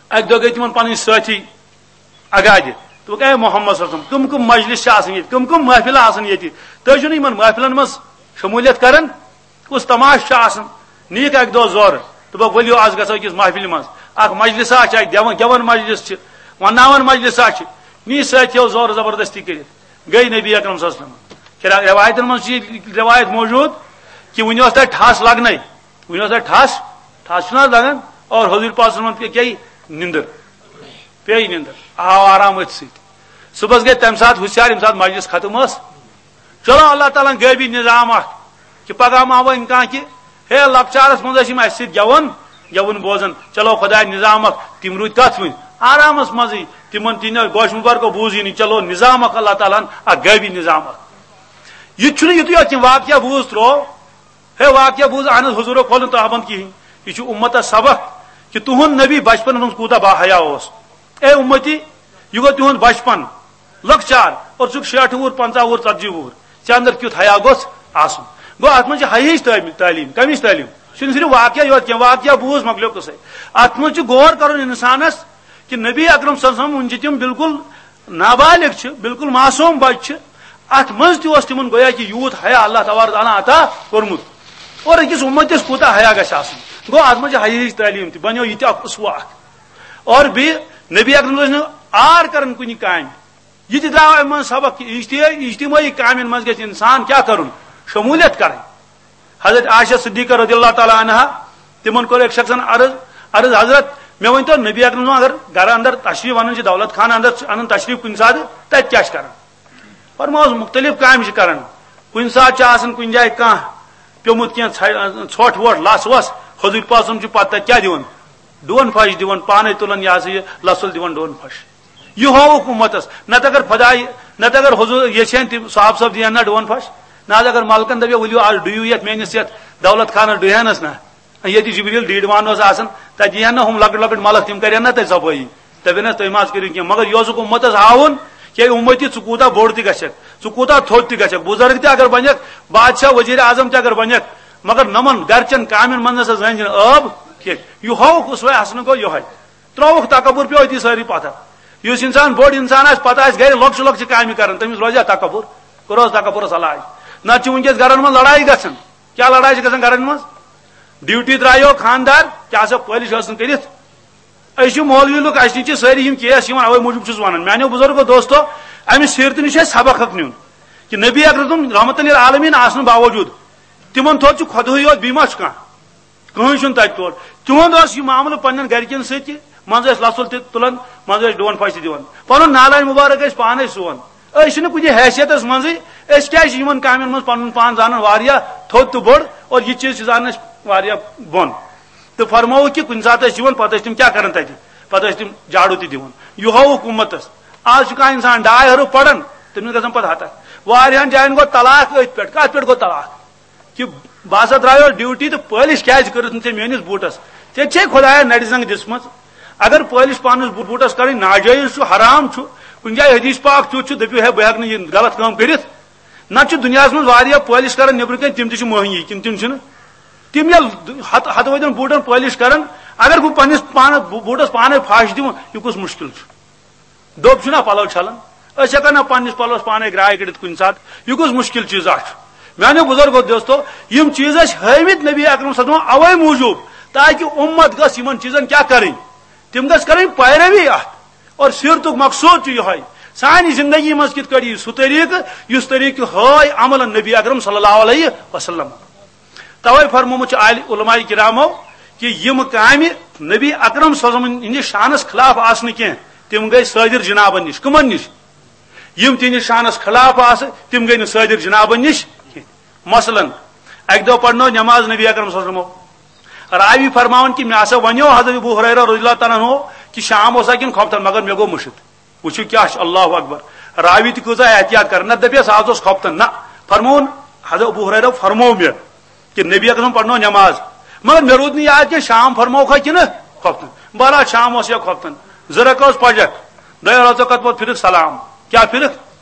اکہِ دۄہ گٔے تِمن پنٕنۍ سٲتھی اگادِ۔ دوٚپُکھ، "اے محمد صلی اللہ علیہ وسلم، کٕم کٕم مجلس چھِ آسان ییٚتہِ، کٕم کٕم محفلہٕ آسان ییٚتہِ؟ تُہۍ چھِو نہٕ یِمن محفلن منٛز شموٗلیت کران؟ کُس تماشہٕ چھُ آسان؟" نِیِکھ اکہِ دۄہ زورٕ، دوٚپُکھ، "ؤلِو، از گژھو أکِس محفلہِ منٛز۔ اکھ مجلسا چھِ اتہِ، گٮ۪وَن، گٮ۪وَن مجلس چھِ، ونناوَن مجلسا چھِ۔" نی سٲتھیو زورٕ زبردستی کٔرِتھ، گٔے نبی اکرم صلی اللہ علیہ وسلم۔ کِرا-، رٮ۪وایتن منٛز چھِ یہِ رٮ۪وایت موجوٗد کہِ وُنہِ اوس تَتہِ ٹھَس لگنے، وُنہِ اوس تَتہِ ٹھَس، ٹھَس چھُنہٕ حظ لگان؟ اور حضوٗر پاک صلی اللہ علیہ وسلم کیٛاہ، یہِ نِندٕر، پیٚیہِ نِندٕر، آو آرام أتھۍ سۭتۍ۔ صُبحس گٔے تَمہِ ساتہٕ ہُشیار، ییٚمہِ ساتہٕ مجلس ختم ٲس۔ چلو، اللہ تعالیٰ ہن غٲبی نظام اکھ کہِ پگاہ ما وۄنۍ کانٛہہ کہِ، ہے، لۄکچارس منٛز ٲسۍ یِم اَسہِ سۭتۍ گٮ۪وان، گٮ۪وُن بوزان۔ چلو، خۄداے نظام اکھ، تِم روٗدۍ تتھ وٕنۍ آرامس منٛزٕے، تِمن تہِ نہٕ گوش مُبارکو بوٗزٕے نہٕ۔ چلو، نظام اکھ اللہ تعالیٰ ہن اکھ غٲبی نظام اکھ۔ یہِ چھُنہٕ یُتُے یوت کینٛہہ، واقعہ بوٗز ترٛوو، ہے، واقعہ بوٗز، اہن حظ، حضوٗرو کھول نہٕ تہبند کِہینۍ۔ یہِ چھُ اُمتس سبق کہِ تُہُنٛد نبی بچپنس منٛز کوٗتاہ باحیا اوس۔ اے اُمتی، یہِ گوٚو تِہُنٛد بچپن، لۄکچار، اور ژٕ چھُکھ شیٹھ وُہُر، پنٛژاہ وُہُر، ژتجی وُہُر، ژےٚ اندر کیُتھ حیا گوٚژھ آسُن؟ گوٚو، اتھ منٛز چھِ حیاہٕچ تعلیٖم، تعلیٖم۔ کمِچ تعلیٖم؟ چھُنہٕ صرف واقعہ یوت کینٛہہ، واقعہ بوٗز، مۄکلیو قصے۔ اتھ منٛز چھُ غور کرُن انسانس کہِ نبی اکرم صلی اللہ علیہ وسلم، وُنہِ چھِ تِم بالکل نابالغ چھِ، بالکل معصوم بچہِ چھِ۔ اتھ منٛز تہِ اوس تِمن گویا کہِ یوٗت حیا اللہ تبارک تعالیٰ عطا کوٚرمُت۔ اور أکِس اُمتِس کوٗتاہ حیا گژھِ آسُن؟ گوٚو، اتھ منٛز چھِ حیاہٕچ تعلیٖم تہِ، بنیو یہِ تہِ اکھ اسوہ اکھ۔ اور بیٚیہِ نبی اکرم صٲب ٲسۍ نہٕ عار کران کُنہِ کامہِ۔ یہِ تہِ درٛاو اَمہِ منٛز سبق کہِ اجتماعی، اجتماعی کامٮ۪ن منٛز گژھِ انسان کیٛاہ کرُن؟ شموٗلیت کرٕنۍ۔ حضرت عائشہ صدیقہ رضی اللہ تعالیٰ عنہا، تِمن کوٚر أکۍ شخصن عرض، عرض، "حضرت، مےٚ ؤنۍ تو، نبی اکرم صٲب اگر گرٕ اندر تشریف انان چھِ، دولت خانہٕ اندر چھِ انان تشریف کُنہِ ساتہٕ، تتہِ کیٛاہ چھِ کران؟" فرمووُس، مُختٔلِف کامہِ چھِ کران۔ کُنہِ ساتہٕ چھِ آسان کُنہِ جایہِ کانٛہہ پیوٚمُت، کینٛہہ ژھے-، ژھۄٹھ وۄٹھ، لژھ وژھ، حضوٗر پاک صٲب چھُ پتہٕ تتہِ کیٛاہ دِوان؟ ڈوٗن پھش دِوان، پانے تُلان، یہِ ہسا یہِ لژھ تُل دِوان ڈوٗن پھش۔ یہِ ہووُکھ اُمتس۔ نتہٕ اگر خداے، نتہٕ اگر حضوٗر یژھِ ہن تہِ صاحب صٲب دِیہِ ہن نا ڈوٗن پھش۔ نہ حظ، اگر ملکن دپہِ، "ؤلِو، آز ڈُیِو یتھ میٲنِس یتھ دولت خانس، ڈُیہِ ہنس نا۔" ییٚتہِ جبریل ڈیٖڈ وان اوس آسان، تتہِ یِہن نہٕ ہُم لۄکٕٹۍ لۄکٕٹۍ ملک، تِم کرن نہ تتہِ صفٲیی۔ دپن حظ، "تُہۍ ما حظ کٔرِو کینٛہہ؟" مگر یہِ اوسُکھ اُمتس ہاوُن کہِ اے اُمتی، ژٕ کوٗتاہ بوٚڑ تہِ گژھکھ، ژٕ کوٗتاہ تھوٚد تہِ گژھکھ، بُزرگ تہِ اگر بنکھ، بادشاہ، وزیر اعظم تہِ اگر بنکھ، مگر نمن گرچن کامٮ۪ن منٛز نہ سا زٲنۍ زن ٲب کینٛہہ۔ یہِ ہووُکھ اسوہ حسنہٕ گوٚو یِہوے۔ ترٛووُکھ تکبر، پیوٚو أتی سٲری پتھر۔ یُس انسان بوٚڑ انسان آسہِ، پتہٕ آسہِ گرِ لۄکچہِ لۄکچہِ کامہِ کران، تٔمِس روزِ ہا تکبر؟ کوٚرہوس تکبرس علاج۔ نتہٕ چھِ وٕنکیٚس گرن منٛز لڑایہِ گژھان۔ کیٛاہ لڑایہِ چھِ گژھان گرن منٛز؟ ڈیوٹی درٛایو خانٛدار، کیٛاہ سا پٲلِش ٲس نہٕ کٔرِتھ؟ أسۍ چھِ مولوی لُکھ، اَسہِ نِش چھِ سٲری یِم کیس یِوان، اَوَے موٗجوٗب چھُس وَنان۔ میٛانیو بُزرگو دوستو، اَمہِ سیٖرتہٕ نِش چھُ اَسہِ سبق اکھ نیُن کہِ نبی اکرم رحمت للعالمین آسنہٕ باوجوٗد تِمن تھوٚد چھُ خۄدہٕے یوت، بیٚیہِ ما چھُ کانٛہہ؟ کٕہٕنۍ چھُنہٕ تَتہِ تور۔ تِہُنٛد اوس یہِ معاملہٕ پنٛنٮ۪ن گرِکٮ۪ن سۭتۍ تہِ، منٛزٕ ٲسۍ لژھُل تہِ تُلان، منٛزٕ ٲسۍ ڈوٗن پھش تہِ دِوان۔ پنُن نالان مُبارک ٲسۍ پانَے سُوان۔ أسۍ چھِنہٕ کُنہِ حیثیتس منٛزٕے، أسۍ کیٛازِ چھِ یِمن کامٮ۪ن منٛز پنُن پان زانان واریاہ تھوٚد تہٕ بوٚڑ، اور یہِ چیٖز چھِ زانان أسۍ واریاہ بۄن۔ تہٕ فرمووُکھ کہِ کُنہِ ساتہٕ ٲسۍ یِوان، پتہٕ ٲسۍ تِم کیٛاہ کران تتہِ؟ پتہٕ ٲسۍ تِم جاڑو تہِ دِوان۔ یہِ ہووُکھ اُمتس۔ آز چھُ کانٛہہ انسان ڈاے ہرُف پران، تٔمِس گژھان پتہٕ ہتکھ۔ واریاہن جاین گوٚو طلاق أتھۍ پٮ۪ٹھ۔ کتھ پٮ۪ٹھ گوٚو طلاق؟ کہِ بہٕ ہسا درٛایوس ڈیوٹی تہٕ پٲلِش کیٛازِ کٔرٕتھ نہٕ ژےٚ میٲنِس بوٗٹس؟ ژےٚ چھے خۄدایَن نرِ زنٛگ دِژمٕژ۔ اگر پٲلِش پانس بو-، بوٗٹس کرٕنۍ ناجٲیز چھُ، حرام چھُ، کُنہِ جایہِ حدیث پاک تیُتھ چھُ، دٔپِو ہے بہٕ ہٮ۪کہٕ نہٕ یہِ غلط کٲم کٔرِتھ۔ نتہٕ چھِ دُنیاہس منٛز واریاہ پٲلِش کران نیٚبرٕ کَنۍ، تِم تہِ چھِ موہنی، کِنہٕ تِم چھِنہٕ؟ تِم ییٚلہِ ہتہٕ، ہتہٕ وٲدٮ۪ن بوٗٹن پٲلِش کرن، اگر بہٕ پننِس پانس بو-، بوٗٹس پانے پھش دِمہٕ، یہِ کُس مُشکِل چھُ؟ دوٚب چھُنہ پلو چھلان؟ أسۍ ہٮ۪کو نہ پننِس پلوس پانے گراے کٔڑِتھ کُنہِ ساتہٕ؟ یہِ کُس مُشکِل چیٖزا چھُ؟ میانیو بُزرگو دوستو، یِم چیٖز ٲسۍ ہٲومٕتۍ نبی اکرم صلی اللہ علیہ وسلمن اوے موٗجوٗب، تاکہِ اُمت گٔژھ یِمن چیٖزن کیٛاہ کرٕنۍ؟ تِم گٔژھ کرٕنۍ پیروی اتھ۔ اور سیرتُک مقصود چھُ یِہوٚے، سانہِ زندگی منٛز کِتھ کٲٹھۍ یی سُہ طریٖقہٕ، یُس طریٖقہٕ ہٲے عملن نبی اکرم صلی اللہ علیہ وسلم۔ توے فرمومُت چھُ عالِ-، علماء کرامو کہِ یِم کامہِ نبی اکرم صلی اللہ علیہ وسلم ہٕنٛدِس شانس خلاف آسنہٕ کینٛہہ، تِم گٔے صٲدِر جنابن نِش۔ کٕمن نِش؟ یِم تِہنٛدِس شانس خلاف آسہٕ، تِم گٔے نہٕ صٲدِر جنابن نِش کینٛہہ۔ مثلاً، اکہِ دۄہ پرنٲو نماز نبی اکرم صلی اللہ علیہ وسلمو۔ راوی فرماوان کہِ مےٚ ہسا ونیو حضرت ابو ہریرہ رضی اللہ تعالیٰ عنہ کہِ شام اوسا کِنہٕ خۄفتن، مگر مےٚ گوٚو مٔشِتھ۔ وٕچھِو کیٛاہ چھُ، اللہ اکبر۔ راوی تہِ کۭژاہ احتیاط کران، نتہٕ دپیس آز اوس خۄفتن۔ نہ، فرمووُن، حضرت ابو ہریرہ فرموو مےٚ کہِ نبی اکرم پرنٲو نماز، مگر مےٚ روٗد نہٕ یاد کینٛہہ شام فرمووکھا کِنہٕ خۄفتن۔ بہرحال شام اوس یا خۄفتن، زٕ رکعت ٲس پجکھ، دۄیو رکعتو پتہٕ پوٚر پھرکھ سلام۔ کیٛاہ پھرکھ؟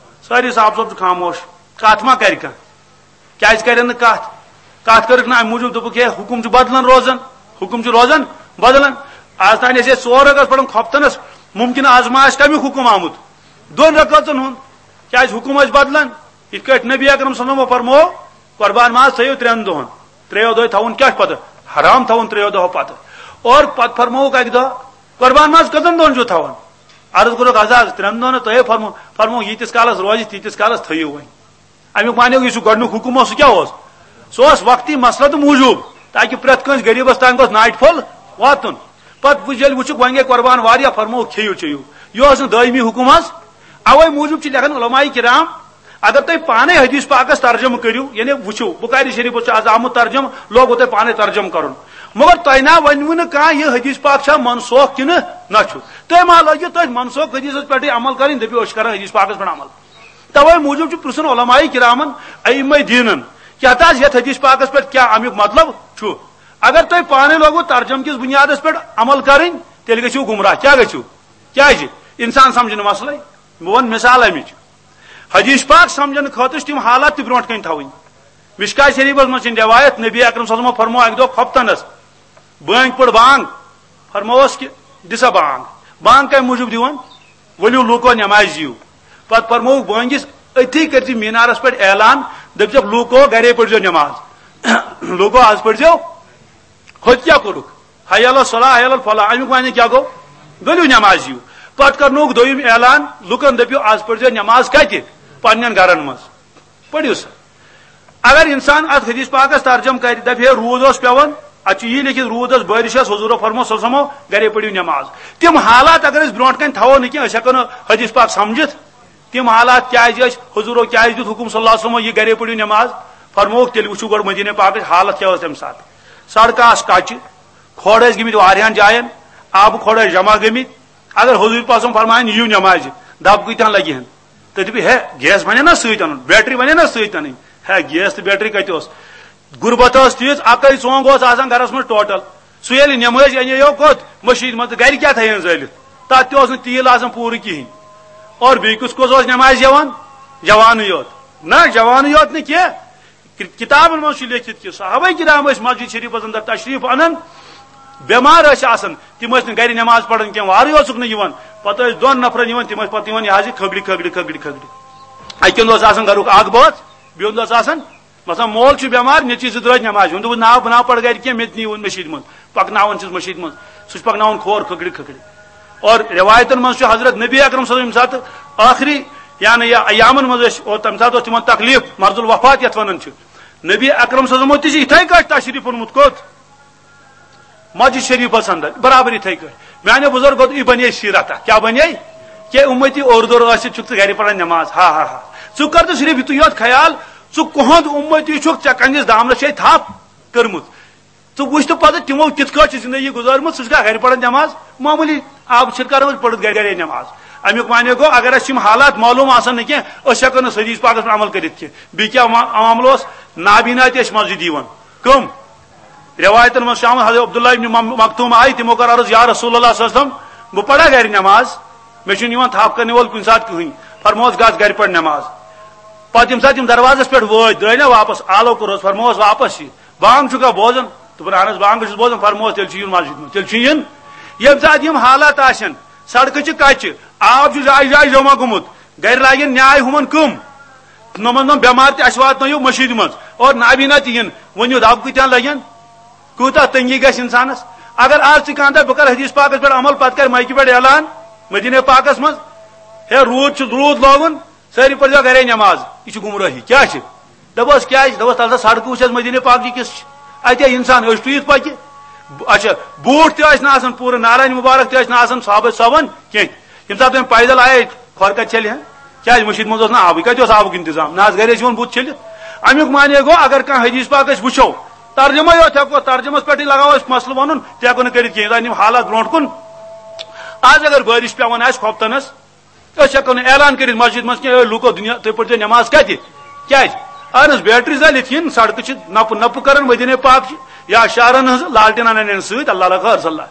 سٲری صاحب صٲب چھِ خاموش، کتھ ما کرِ کانٛہہ؟ کیازِ کرن نہٕ کتھ؟ کتھ کٔرٕکھ نہٕ امہِ موٗجوٗب، دوٚپُکھ ہے حُکُم چھُ بدلان روزان، حُکُم چھُ روزان بدلان۔ از تام ٲسۍ أسۍ ژور رکعت پران خۄفتنس، مُمکِن از ما آسہِ کمیُک حُکُم آمُت؟ دۄن رکعتن ہُنٛد، کیازِ حُکُم ٲسۍ بدلان۔ یِتھ کٲٹھۍ نبی اکرم صلی اللہ علیہ وسلم فرموو، قربان ماز تھٲیِو ترٛٮ۪ن دۄہن، ترٛیٚیو دۄہہِ تھاوُن کیٛاہ چھُ پتہٕ؟ حرام تھاوُن ترٛیٚیو دۄہو پتہٕ۔ اور پتہٕ فرمووُکھ اکہِ دۄہ، قربان ماز کٔژن دۄہن چھُو تھاوُن؟ عرض کوٚرُکھ، حض، حض، ترٛٮ۪ن دۄہن، تۄہے فرمو-، فرمووُکھ، ییٖتِس کالس روزِ، تیٖتِس کالس تھٲیِو وۄنۍ۔ امیُک معنی گوٚو، یُس یہِ گۄڈٕنیُک حُکُم اوس، سُہ کیٛاہ اوس؟ سُہ اوس وقتی مسلحتہٕ موٗجوٗب، تاکہِ پرٛٮ۪تھ کٲنٛسہِ غریٖبس تام گوٚژھ ناٹہِ پھوٚل واتُن۔ پتہٕ وٕچھ، ییٚلہِ وٕچھُکھ، وۄنۍ گٔے قربان واریاہ، فرمووُکھ، کھیٚیِو چیٚیِو۔ یہِ اوس نہٕ دٲیمی حُکُم حظ۔ اوے موٗجوٗب چھِ لیکھان علماء کرام، اگر تُہۍ پانے حدیث پاکس ترجمہٕ کٔرِو، یعنی وٕچھِو، بخاری شریفس چھُ از آمُت ترجمہٕ، لوگوُ تۄہہِ پانے ترجمہٕ کرُن۔ مگر تۄہہِ نا ؤنوٕ نہٕ کانٛہہ، یہِ حدیث پاک چھا منسوخ کِنہٕ نہ چھُ؟ تُہۍ ما لٲگِو تٔتھۍ منسوخ حدیثس پٮ۪ٹھٕے عمل کرٕنۍ، دٔپِو، أسۍ چھِ کران حدیث پاکس پٮ۪ٹھ عمل۔ توے موٗجوٗب چھُ پرٛژھُن علماء کرامن، ائمہ دینن، کیٛاہ تاز یتھ حدیث پاکس پٮ۪ٹھ کیٛاہ امیُک مطلب چھُ؟ اگر تۄہہِ پانے لوگوُ ترجمہٕ کِس بُنیادس پٮ۪ٹھ عمل کرٕنۍ، تیٚلہِ گٔژھِو گمراہ۔ کیٛاہ گٔژھِو؟ کیٛازِ؟ انسان سمجھنہٕ مسلے۔ بہٕ ونہٕ مثال امِچ۔ حدیث پاک سمجھنہٕ خٲطرٕ چھِ تِم حالات تہِ برونٛٹھ کنہِ تھاوٕنۍ۔ مشکات شریفس منٛز چھِ روایت، نبی اکرم صلی اللہ علیہ وسلم فرموو اکہِ دۄہ خۄفتنس، بٲنٛگۍ پٔر بانٛگ، فرمووس کہِ، دِ سا بانٛگ۔ بانٛگ کمہِ موٗجوٗب دِوان؟ ؤلِو لوٗکو، نٮ۪مازِ یِیِو۔ پتہٕ فرمووُکھ بٲنٛگِس، أتھی کٔرۍ زِ مینارس پٮ۪ٹھ اعلان، دٔپۍزٮ۪کھ، لوٗکو، گرے پٔرۍزیو نٮ۪ماز۔ لوٗکو، از پٔرۍزیو۔ ہوٚتہِ کیٛاہ کوٚرُکھ؟ حی علی الصلاح، حی علی الفلاح۔ امیُک معنی کیٛاہ گوٚو؟ ؤلِو نٮ۪مازِ یِیِو۔ پتہٕ کرنووُکھ دوٚیِم اعلان، لوٗکن دٔپِو، از پٔرۍزیو نٮ۪ماز کتہِ؟ پننٮ۪ن گرن منٛز۔ پٔرِو سا۔ اگر انسان اتھ حدیث پاکس ترجمہٕ کرِ، دپہِ ہے روٗد اوس پٮ۪وان، اتھ چھُ یی لیکھِتھ، روٗد اوس، بٲرِش ٲس، حضوٗرو فرموو صلی اللہ علیہ وسلمو، گرے پٔرِو نٮ۪ماز۔ تِم حالات اگر أسۍ برونٛٹھ کنہِ تھاوو نہٕ کینٛہہ، أسۍ ہٮ۪کو نہٕ حدیث پاک سمجھِتھ۔ تِم حالات کیازِ ٲسۍ؟ حضوٗرو کیازِ دیُت حُکُم صلی اللہ علیہ وسلمو، یہِ گرے پٔرِو نٮ۪ماز؟ فرمووُکھ، تیٚلہِ وٕچھِو گۄڈٕ مدیٖنہ پاکٕچ حالت کیٛاہ ٲس تمہِ ساتہٕ۔ سڑکہٕ آسہٕ کچہِ، کھۄڑ ٲسۍ گٔمٕتۍ واریاہن جاین، آبہٕ کھۄڑ ٲسۍ جمع گٔمٕتۍ۔ اگر حضوٗر پاسم فرمایَن، یِیِو نٮ۪مازِ، دب کۭتیاہن لگہِ ہن؟ تُہۍ دٔپِو، ہے، گیس بنہِ نا سۭتۍ اَنُن، بیٹری بنہِ نا سۭتۍ اَنٕنۍ؟ ہے، گیس تہٕ بیٹری کتہِ اوس؟ غربت ٲس تیٖژ، اَکٕے ژونٛگ اوس آسان گرس منٛز ٹوٹل۔ سُہ ییٚلہِ نٮ۪مٲزۍ اَنے یو کوٚت؟ مٔشیٖد منٛز، تہٕ گرِ کیٛاہ تھایہن زٲلِتھ؟ تَتھ تہِ اوس نہٕ تیٖل آسان پوٗرٕ کِہیٖنۍ۔ اور بیٚیہِ کُس کُس اوس نٮ۪مازِ یِوان؟ جوانٕے یوت۔ نہ، جوانٕے یوت نہٕ کینٛہہ، کہ-، کتابن منٛز چھُ لیکھِتھ کہِ صحابہ کرام ٲسۍ مسجد شریفس اندر تشریف انان، بٮ۪مار ٲسۍ آسان، تِم ٲسۍ نہٕ گرِ نٮ۪ماز پران کینٛہہ، وارٕے اوسُکھ نہٕ یِوان، پتہٕ ٲسۍ دۄن نفرن یِوان، تِم ٲسۍ پتہٕ یِوان یہِ حظ یہِ کھگڑِ، کھگڑِ، کھگڑِ، کھگڑِ۔ اکہِ ہُنٛد اوس آسان گرُک اکھ بٲژ، بیٚیہِ ہُنٛد اوس آسان، مثلاً مول چھُ بٮ۪مار، نیٚچوِس زٕ درٛٲے نٮ۪مازِ ہُنٛد، دوٚپُس، نا، بہٕ نا پرٕ گرِ کینٛہہ، مےٚ تہِ نِیوُن مٔشیٖد منٛز، پکناوان چھِس مٔشیٖد منٛز، سُہ چھُ پکناوان کھور کھگڑِ، کھگڑِ۔ اور روایتن منٛز چھُ حضرت نبی اکرم صلی اللہ علیہ وسلم ییٚمہِ ساتہٕ ٲخری، یعنی یا ایامن منٛز ٲسۍ، اور تمہِ ساتہٕ اوس تِمن تکلیف، مرض الوفات یتھ ونان چھِ۔ نبی اکرم صلی اللہ علیہ وسلم تہِ چھُ یِتھے کٲٹھۍ تشریف اوٚنمُت۔ کوٚت؟ مسجد شریفس اندر، برابر یِتھے کٲٹھۍ۔ میانیو بزرگو، یہِ بنے سیرت اکھ۔ کیٛاہ بنے؟ کہ امتی اوٚر دوٚر ٲسِتھ چھُکھ ژٕ گرِ پران نماز۔ ہا ہا ہا۔ ژٕ کر تہٕ صرف یِتُے یوت خیال، ژٕ کُہُنٛد امتی چھُکھ، ژےٚ کنہِ دامنس چھے تھپھ کٔرمٕژ۔ ژٕ وٕچھ تہٕ پتہٕ تِمو کِتھ کٲٹھۍ چھِ زندگی گُزٲرمٕژ، سُہ چھُکھا گرِ پران نٮ۪ماز؟ معموٗلی آب چھِرکاوان پٔرِتھ گرِ گرے نٮ۪ماز۔ امیُک معنی گوٚو، اگر اَسہِ یِم حالات معلوٗم آسن نہٕ کینٛہہ، أسۍ ہٮ۪کو نہٕ حدیث پاکس پٮ۪ٹھ عمل کٔرِتھ کینٛہہ۔ بیٚیہِ کیٛاہ ما-، معاملہٕ اوس؟ نابینا تہِ ٲسۍ مسجد یِوان۔ کٕم؟ روایتن منٛز چھُ آمُت، حضرت عبداللہ ابن مم-، مکتوم آیہِ، تِمو کٔر عرض، یا رسول اللہ صلی اللہ علیہ وسلم، بہٕ پرا گرِ نٮ۪ماز؟ مےٚ چھُنہٕ یِوان تھپھ کرنہٕ وول کُنہِ ساتہٕ کٕہٕنۍ۔ فرموس، گژھ گرِ پرِ نٮ۪ماز۔ پتہٕ ییٚمہِ ساتہٕ یِم دروازس پٮ۪ٹھ وٲتۍ، درٛٲے نا واپس، آلو کوٚرہوس، فرموس، واپس یہِ۔ بانگ چھُکھا بوزان؟ دوٚپُن، اہن حظ، بانگ چھُس بوزان۔ فرمووس، تیٚلہِ چھُ یُن مسجد منٛز، تیٚلہِ چھُ یُن۔ ییٚمہِ ساتہٕ یِم حالات آسن، سڑکہٕ چھِ کچہِ، آب چھُ جایہِ جایہِ جمع گوٚمُت، گرِ لاگن نیاے ہُمن کٕم؟ نۄمن نۄم بٮ۪مار تہِ اَسہِ واتنٲیِو مٔشیٖدِ منٛز، اور نابینا تہِ یِن، ؤنِو دب کۭتیاہ لگن؟ کوٗتاہ تنگی گژھِ انسانس؟ اگر آز تہِ کانٛہہ دپہِ، بہٕ کرٕ حدیث پاکس پٮ۪ٹھ عمل، پتہٕ کرِ مایکہِ پٮ۪ٹھ اعلان مدیٖنہ پاکس منٛز، ہے، روٗد چھُ، روٗد لوگُن، سٲری پٔرۍزیو گرے نٮ۪ماز۔ یہِ چھُ گمرٲہی۔ کیٛاہ چھِ؟ دَپوس کیٛازِ؟ دَپوس تَلہٕ سا سڑکہٕ وٕچھ حظ مدیٖنہ پاک چہِ کِژھ چھِ۔ اَتہِ ہے اِنسان أچھ ٹُوِتھ پَکہِ۔ اچھا، بوٗٹھ تہِ ٲسۍ نہٕ آسان، پوٗرٕ نعلین مُبارک تہِ ٲسۍ نہٕ آسان صحابہ صٲبَن کینٛہہ۔ ییٚمہِ ساتہٕ تِم پیدل آیے، کھۄر کَتہِ چھٔلہِ ہا؟ کیٛازِ؟ مٔشیٖد منٛز اوس نہٕ آبٕے، کَتہِ اوس آبُک اِنتظام؟ نہ حظ، گرے چھِ یِوان بُتھ چھٔلِتھ۔ اَمیُک معنی گوٚو، اگر کانٛہہ حدیث پاک أسۍ وٕچھو، ترجمے یوت ہٮ۪کو، ترجمس پٮ۪ٹھٕے لگاو أسۍ مسلہٕ وَنُن، تہِ ہٮ۪کو نہٕ کٔرِتھ کینٛہہ۔ یوٚتام یِم حالات برونٛٹھ کُن، آز اگر بٲرِش پٮ۪وان آسہِ کھۄفتنس، أسۍ ہٮ۪کو نہٕ اعلان کٔرِتھ مسجد منٛز کینٛہہ، "اے لوٗکو، دُنیا، تُہۍ پٔرۍزیو نٮ۪ماز کَتہِ؟" کیٛازِ؟ اہن حظ، بیٹری زالِتھ یِن، سڑکہٕ چھِ نَپہٕ نَپہٕ کران، مدیٖنے پاک چھِ یا شہرن ہٕنٛز لالٹینن اَنن سۭتۍ، اللہ لکھ حرص اللہ۔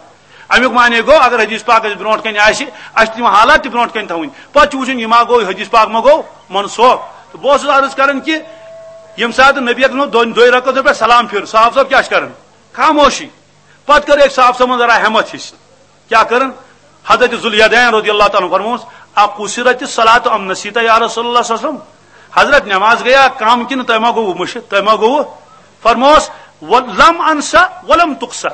اَمیُک معنی گوٚو، اگر حدیث پاک اَسہِ برونٛٹھ کَنہِ آسہِ، اَسہِ چھِ تِم حالات تہِ برونٛٹھ کَنہِ تھاوٕنۍ۔ پَتہٕ چھُ وٕچھُن، یہِ ما گوٚو، حدیث پاک ما گوٚو منسوخ۔ تہٕ بہٕ اوسُس عرض کران کہِ ییٚمہِ ساتہٕ نبی اکرم دۄن، دۄیہِ رکعتن پٮ۪ٹھ سلام پھِر، صحابہٕ صٲب کیٛاہ چھِ کران؟ خاموشی۔ پتہٕ کٔر أکۍ صاحب صٲبن ذرا ہمت ہِش۔ کیٛاہ کٔرٕن؟ حضرت ذواليدين رضی اللہ تعالیٰ عنہ فرمووُس، "اقصرت الصلاة ام نسیت یا رسول اللہ صلی اللہ علیہ وسلم؟" حضرت، نماز گٔیا کم کِنہٕ تۄہہِ ما گوٚوٕ مٔشِتھ، تۄہہِ ما گوٚوٕ؟ فرمووُس، "و-، لم انسا ولم تقصر۔"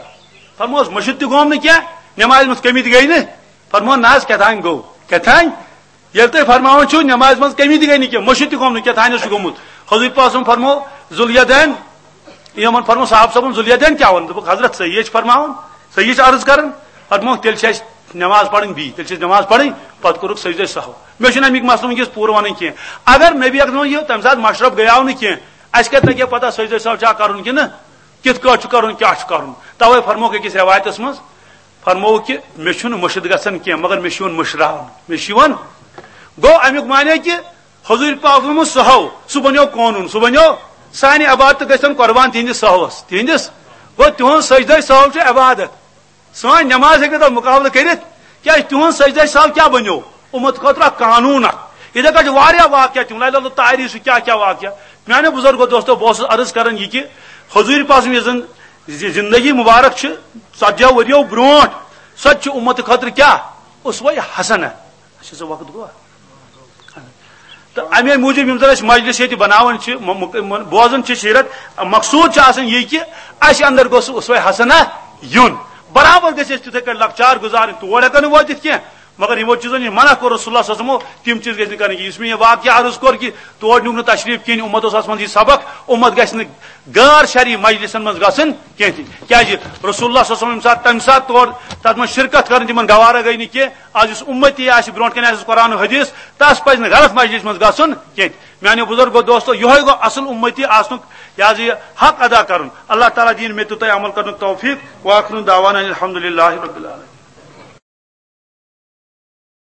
فرمووُس، مٔشِتھ تہِ گوٚوم نہٕ کینٛہہ، نمازِ منٛز کمی تہِ گٔے نہٕ۔ فرموو، نہ حظ، کیٛاہ تام گوٚو، کیٛاہ تام؟ ییٚلہِ تُہۍ فرماوان چھِو، نمازِ منٛز کمی تہِ گٔے نہٕ کینٛہہ، مٔشِتھ تہِ گوٚم نہٕ، کیٛاہ تام اوس گوٚمُت۔ حضور پاک صٲبن فرموو، ذواليدين، یِمن فرموو صاحب صٲبن، "ذواليدين کیٛاہ ووٚن؟" دوٚپُکھ، "حضرت، صحیح چھِ فرماوان، صحیح چھِ عرض کران۔" فرمووُکھ، "تیٚلہِ چھِ اَسہِ نماز پرٕنۍ بیٚیہِ، تیٚلہِ چھِ اَسہِ نماز پرٕنۍ۔" پتہٕ کوٚرُکھ سجدے سہو۔ مےٚ چھُنہٕ اَمیُک مسلہٕ وٕنکیٚس پوٗرٕ وَنٕنۍ کینٛہہ۔ اگر نبی اکرم یہِ تَمہِ ساتہٕ مشرف گٔیاو نہٕ کینٛہہ، اَسہِ کَتہِ لَگہِ پتہ سجدے سہو چھا کرُن کِنہٕ کِتھ کٲٹھۍ چھُ کرُن، کیٛاہ چھُ کرُن؟ توے فرمووُکھ أکِس رٮ۪وایتس منٛز، فرمووُکھ کہِ مےٚ چھُنہٕ مٔشِد گژھان کینٛہہ، مگر مےٚ چھُ یِوان مٔشراونہٕ، مےٚ چھُ یِوان۔ گوٚو، اَمیُک معنی کہِ حضوٗرِ پاک فرمووُن سہو، سُہ بنیو قونوٗن، سُہ بنیو سانہِ عبادتہٕ گژھن قربان تِہنٛدِس سہوس، تِہنٛدِس۔ گوٚو، تِہُنٛد سجدے سہو چھُ عبادت۔ سٲنۍ نماز ہیٚکہِ نہٕ تَتھ مُقابلہٕ کٔرِتھ، کیٛازِ تِہُنٛد سجدے سہو کیٛاہ بنیو؟ اُمت خٲطرٕ اکھ قانوٗن اکھ۔ یِتھے کٔنۍ چھِ واریاہ واقعہ تِم، لَیلۃ التعریٖض چھُ، کیٛاہ کیٛاہ واقعہ۔ میانیو بُزرگو دوستو، بہٕ اوسُس عرض کران یہِ کہِ حضوٗرِ پاک سٕنٛز یۄس زن زِ-، زندگی مُبارک چھِ، ژتجی ؤرِیو برونٛٹھ، سۄ تہِ چھِ اُمت خٲطرٕ کیٛاہ؟ اسوہ حسنہ۔ اچھا، سُہ وقت گوٚوا؟ تہٕ امے موٗجوٗب یِم زن أسۍ مجلس ییٚتہِ بناوان چھِ، م-، م-، م-، بوزان چھِ سیرت، مقصوٗد چھُ آسان یہِ کہِ اسہِ اندر گوٚژھ اسوہ حسنہ یُن۔ برابر گژھِ أسۍ تِتھے کٔنۍ لۄکچار گُزارٕنۍ، تور ہٮ۪کو نہٕ وٲتِتھ کینٛہہ، مگر یِمو چیٖزو نِش منع کوٚر رسول اللہ صلی اللہ علیہ وسلمو، تِم چیٖز گژھِ نہٕ کرٕنۍ کینٛہہ۔ یُس مےٚ یہِ واقعہ عرض کوٚر کہِ تور نیوٗکھ نہٕ تشریٖف کِہیٖنۍ، اُمت اوس اتھ منٛز یہِ سبق، اُمت گژھِ نہٕ غٲر شرعی مجلسن منٛز گژھٕنۍ کینٛہہ تہِ۔ کیٛازِ؟ رسول اللہ صلی اللہ علیہ وسلم ییٚمہِ ساتہٕ، تَمہِ ساتہٕ تور تتھ منٛز شرکت کرٕنۍ تِمن گوارا گٔے نہٕ کینٛہہ۔ از یُس اُمتی آسہِ، برونٛٹھ کنہِ آسہِ قرآن و حدیث، تس پزِ نہٕ غلط مجلس منٛز گژھُن کینٛہہ۔ میانیو بُزرگو دوستو، یِہوٚے گوٚو اصل اُمتی آسنُک، یہِ حظ یہِ حق ادا کرُن۔ اللہ تعالیٰ دِیِن مےٚ تہٕ تۄہہِ عمل کرنُک توفیق۔ وآخر دعوانا الحمدللہ رب العالمین۔